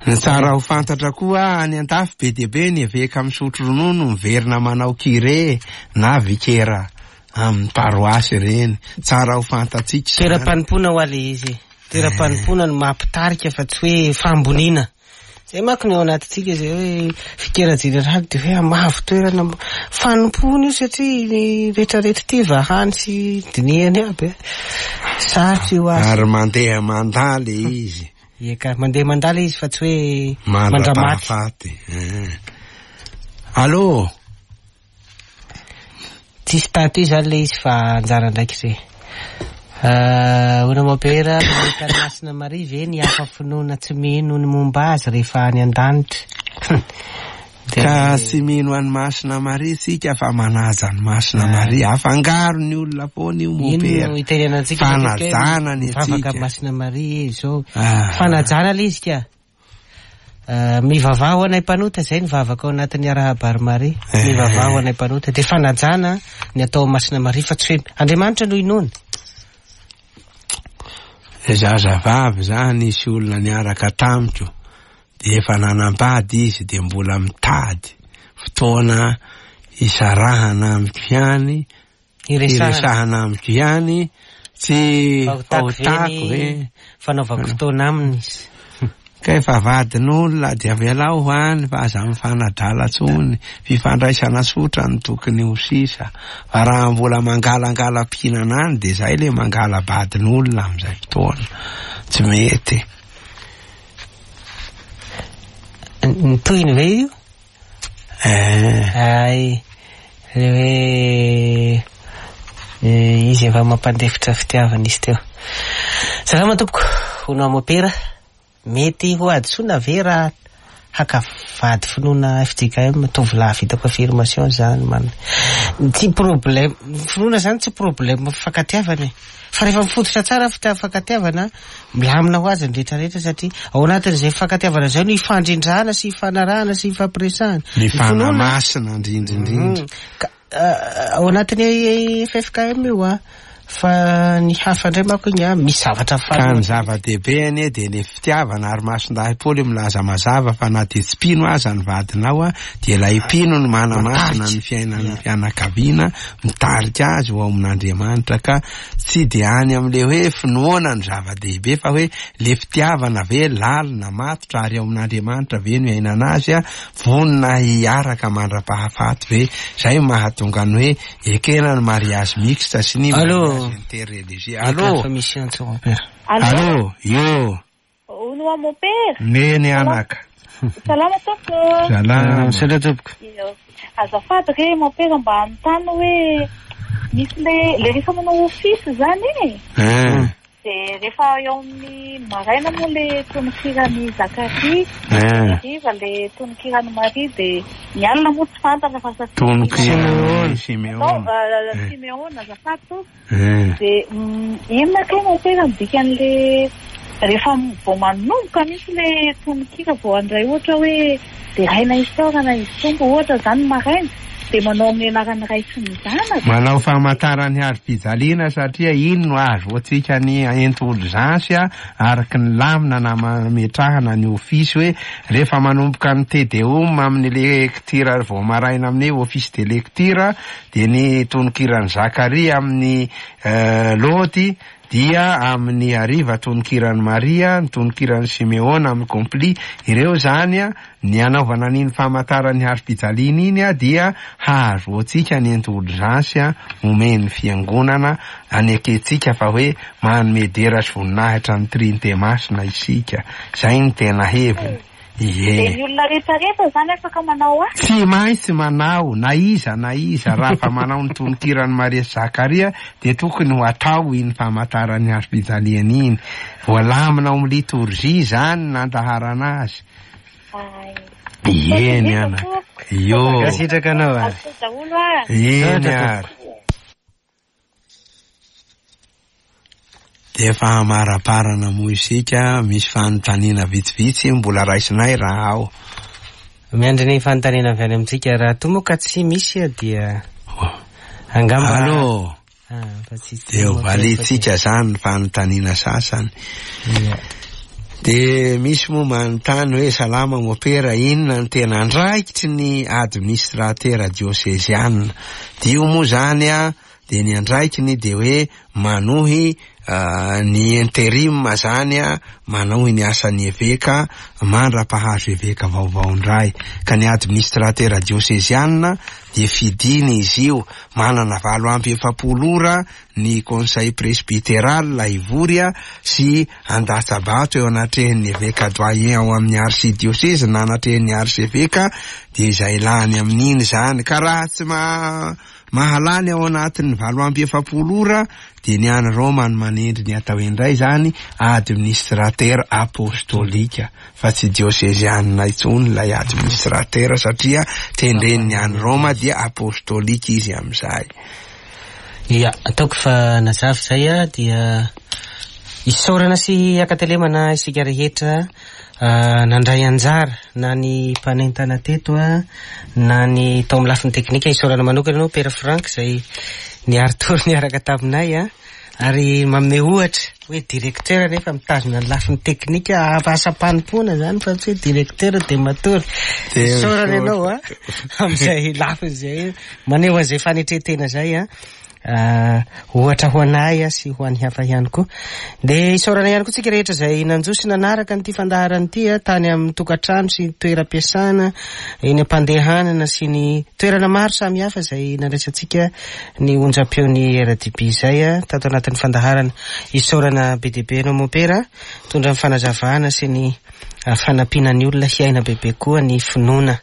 Ny tsara ho fantatra koa, any an-dafy be dia be ny eveka misotro ronono miverina manao curé na vikera amin'ny paroasy ireny. Tsara ho fantatsika izany. Toeram-panompoana hoa le izy e. Toeram-panompoana no maha mpitarika fa tsy hoe fahamboniana. Zay manko ny ao anatintsika zay hoe fikera jeneraly dia hoe hamavo toerana fanompoana io satria ny retraretra ity vahany sy dinihany aby e. Sarotra io asa. Ary mandeha mandà le izy. Ie ka, mandeha mandà le izy fa tsy hoe mandramaty. Mandra-pahafaty. Eh. Allô? Tsy statut zany le izy fa anjara andraikitra e. Ahoana Mopera, mahita an'i Masina Maria ve ny hafa finoana tsy mino ny momba azy rehefa any an-danitra? Ka tsy mino an'i Masina Maria tsika fa manaja an'i Masina Maria. Afangaro ny olona foana io Mopera. Ino no itenenantsika matetika hoe Fanajana ny mivavaka antsika. amin'i Masina Maria e izao. Fanajana le izy ka. Mivavaha ho anay mpanota, izay ny vavaka ao anatin'ny Arahaba ry Maria. Mivavaha ho anay mpanota. Dia fanajana ny atao amin'i Masina Maria fa tsy hoe Andriamanitra no inoana. Zazavavy za nisy olona niaraka tamiko dia efa nanambady izy dia mbola mitady fotoana hisarahana amiko ihany Hiresahana amiko ihany, tsy Fahotako ve fahotako ny ve? fanaovako fotoana aminy izy? Ka efa vadin'olona dia avelao ho any fa aza mifanadala tsony, fifandraisana tsotra no tokony ho sisa. Fa raha mbola mangalangala-pihinana any dia zay le mangala-badin'olona amin'izay fotoana. Tsy mety. Ny tohiny ve io? Eh. Hay, le hoe izy efa mampandefitra fitiavana izy teo. Salama tompoko, hono aho mopera. Mety ho hadisoana ve raha haka vady finoana fjkm tovolahy vita confirmation zany man tsy problème finoana zany tsy problème fifankatiavana e fa rehefa mifototra tsara ny fifankatiavana milamina ho azy ny rehetra rehetra satria ao anatin'izay fifankatiavana izay no ifandrindrana sy ifanarahana sy ifampiresahana ny fanahy masina indrindra indrindra ka Ao anatin'ny ffkm io a! Fa ny hafa indray manko iny a, misy zavatra Ka ny zava-dehibe anie dia ny fitiavana ary Masindahy Paoly milaza mazava fa na dia tsy mpino aza ny vadinao a, dia ilay mpino no manamasina ny fiainan'ny fianakaviana, mitarika azy ho ao amin'Andriamanitra ka tsy dia any amin'ilay hoe finoana no zava-dehibe fa hoe le fitiavana ve lalina, matotra ary ao amin'Andriamanitra ve no iainana azy a, Vonona hiaraka mandra-pahafaty ve? Zay no mahatonga ny hoe ekena ny mariage mixte sy ny mariage interreligieux. Allô? Efa misy antso mon père. Allô? Io. Hono hoa mon père. Neny anaka. Salama tompoko. Salama. Misaotra tompoko. Io. Azafady re mon père mba hanontany hoe misy le le rehefa manao office zany e. Hein. Dia rehefa eo amin'ny maraina moa ilay tononkiran'i Zakaria, ny hariva ilay tononkiran'i Maria, dia ny alina moa tsy fantatra fa satria Tononkiran'i Simeona. Simeona, azafady tompoko. Dia inona kay no tena ny dikan'ilay rehefa vao manomboka mihitsy ilay tononkira vao handray ohatra hoe deraina isaorana izy Tompo ohatra izany maraina Dia manao amin'ny anaran'ny Ray sy ny Zanaka. Manao famantaran'ny hazofijaliana satria iny no ahazoantsika ny indulgence araka ny lamina nametrahana ny ofisy hoe rehefa manomboka ny Te Deum amin'ny lektira vao maraina amin'ny office de lecture dia ny tononkiran'i Zakaria amin'ny Lody dia amin'ny hariva tononkiran'i Maria, ny tononkiran'i Simeona amin'ny Compli, ireo izany Ny hanaovana an'iny famantaran'ny hazofijaliana iny dia hahazoantsika ny indulgence omen'ny Fiangonana, anekentsika fa hoe manome dera sy voninahitra ny Trinite Masina isika. Izay no tena heviny. Ie. Dia ny olona rehetrarehetra izany afaka manao azy? Tsy maintsy manao, na iza na iza, raha fa manao ny tononkiran'i Maria sy Zakaria dia tokony ho atao iny famantaran'ny hazofijaliana iny. Voalamina ao amin'ny litorjia izany ny nandaharana azy. Eny anaka. Io. Mankasitraka anao ary. Eny ary. Dia efa hamaraparana moa isika, misy fanontaniana vitsivitsy mbola raisinay raha ao. Miandry ny fanontaniana avy any amintsika, raha toa moa ka tsy misy dia angamba. Allô. Dia ho valiantsika izany ny fanontaniana sasany. Dia misy moa manontany hoe salama mopera, inona no tena andraikitry ny administratera dioseziana? Dia io moa izany a, dia ny andraikiny dia hoe manohy ny interim izany a, manohy ny asan'ny eveka mandra-pahazo eveka vaovao indray. Ka ny administratera dioseziana dia fidina izy io, manana 48 ora ny Conseil Presbyteral hivory sy handatsa-bato eo anatrehan'ny Eveka Doyen ao amin'ny Archidiosezy na anatrehan'ny Archeveka, dia izay lany amin'iny izany. Ka raha tsy mahalany ao anatin'ny 48 ora dia ny any Roma no manendry ny atao indray izany administrateur apostolika. fa tsy diosezianina intsony ilay administratera satria tendren'ny any Roma dia apostolika izy amin'izay. Ya, ataoko fa nazava izay a, dia isaorana sy akatelemana isika rehetra nandray anjara na ny mpanentana teto a, na ny tao amin'ny lafiny teknika. Isaorana manokana ianao Père Franck izay niari-tory niaraka taminay a. Ary manome ohatra hoe directeur nefa mitazona ny lafiny teknika asam-panompoana zany fa tsy hoe directeur dia matory. Isaorana ianao a amin'izay lafiny izay maneho an'izay fanetren-tena izay a. Ohatra ho anay sy ho an'ny hafa ihany koa. Dia isaorana ihany koa tsika rehetra izay nanjo sy nanaraka an'ity fandaharana ity tany amin'ny tokantrano sy toeram-piasana, eny am-pandehanana sy ny toerana maro samihafa izay nandraisantsika ny onjam-peon'ny RDB izay tato anatin'ny fandaharana. Isaorana be dia be anao Mompera nitondra ny fanazavana sy ny fanampiana ny olona hiaina bebe koa ny finoana.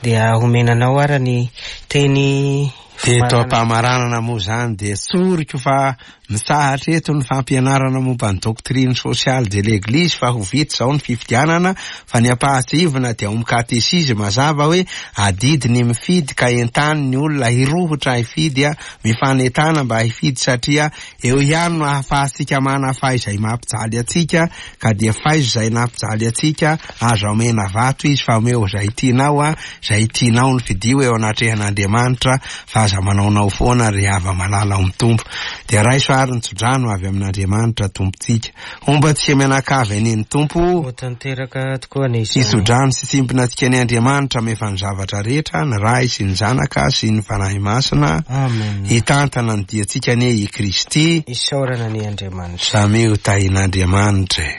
Dia omena anao ara ny teny Eto am-pamaranana moa izany dia tsoriko fa mitsahatra eto ny fampianarana momba ny doctrine sociale de l'Eglise fa ho vita izao ny fifidianana fa ny ampahatsiahivina dia ao amin'ny katesizy mazava hoe adidy ny mifidy ka entano ny olona hirohotra hifidy mifanentana mba hifidy satria eo ihany no ahafahantsika manafay izay mampijaly antsika ka dia faizo izay nampijaly antsika, aza omena vato izy fa omeo izay tianao a, izay tianao no fidio eo anatrehan'Andriamanitra fa aza manaonao foana ry hava-malala ao amin'ny Tompo. Dia raiso ary ny tsodrano avy amin'Andriamanitra Tompontsika. Homba antsika mianakavy anie ny Tompo. Ho tanteraka tokoa anie izany. Hitsodrano sy tsimpona antsika anie Andriamanitra amefa ny zavatra rehetra, ny Ray sy ny Zanaka sy ny Fanahy Masina. Amen. Hitantana ny diantsika anie i Kristy. Isaorana anie Andriamanitra. Samia ho tahin'Andriamanitra e.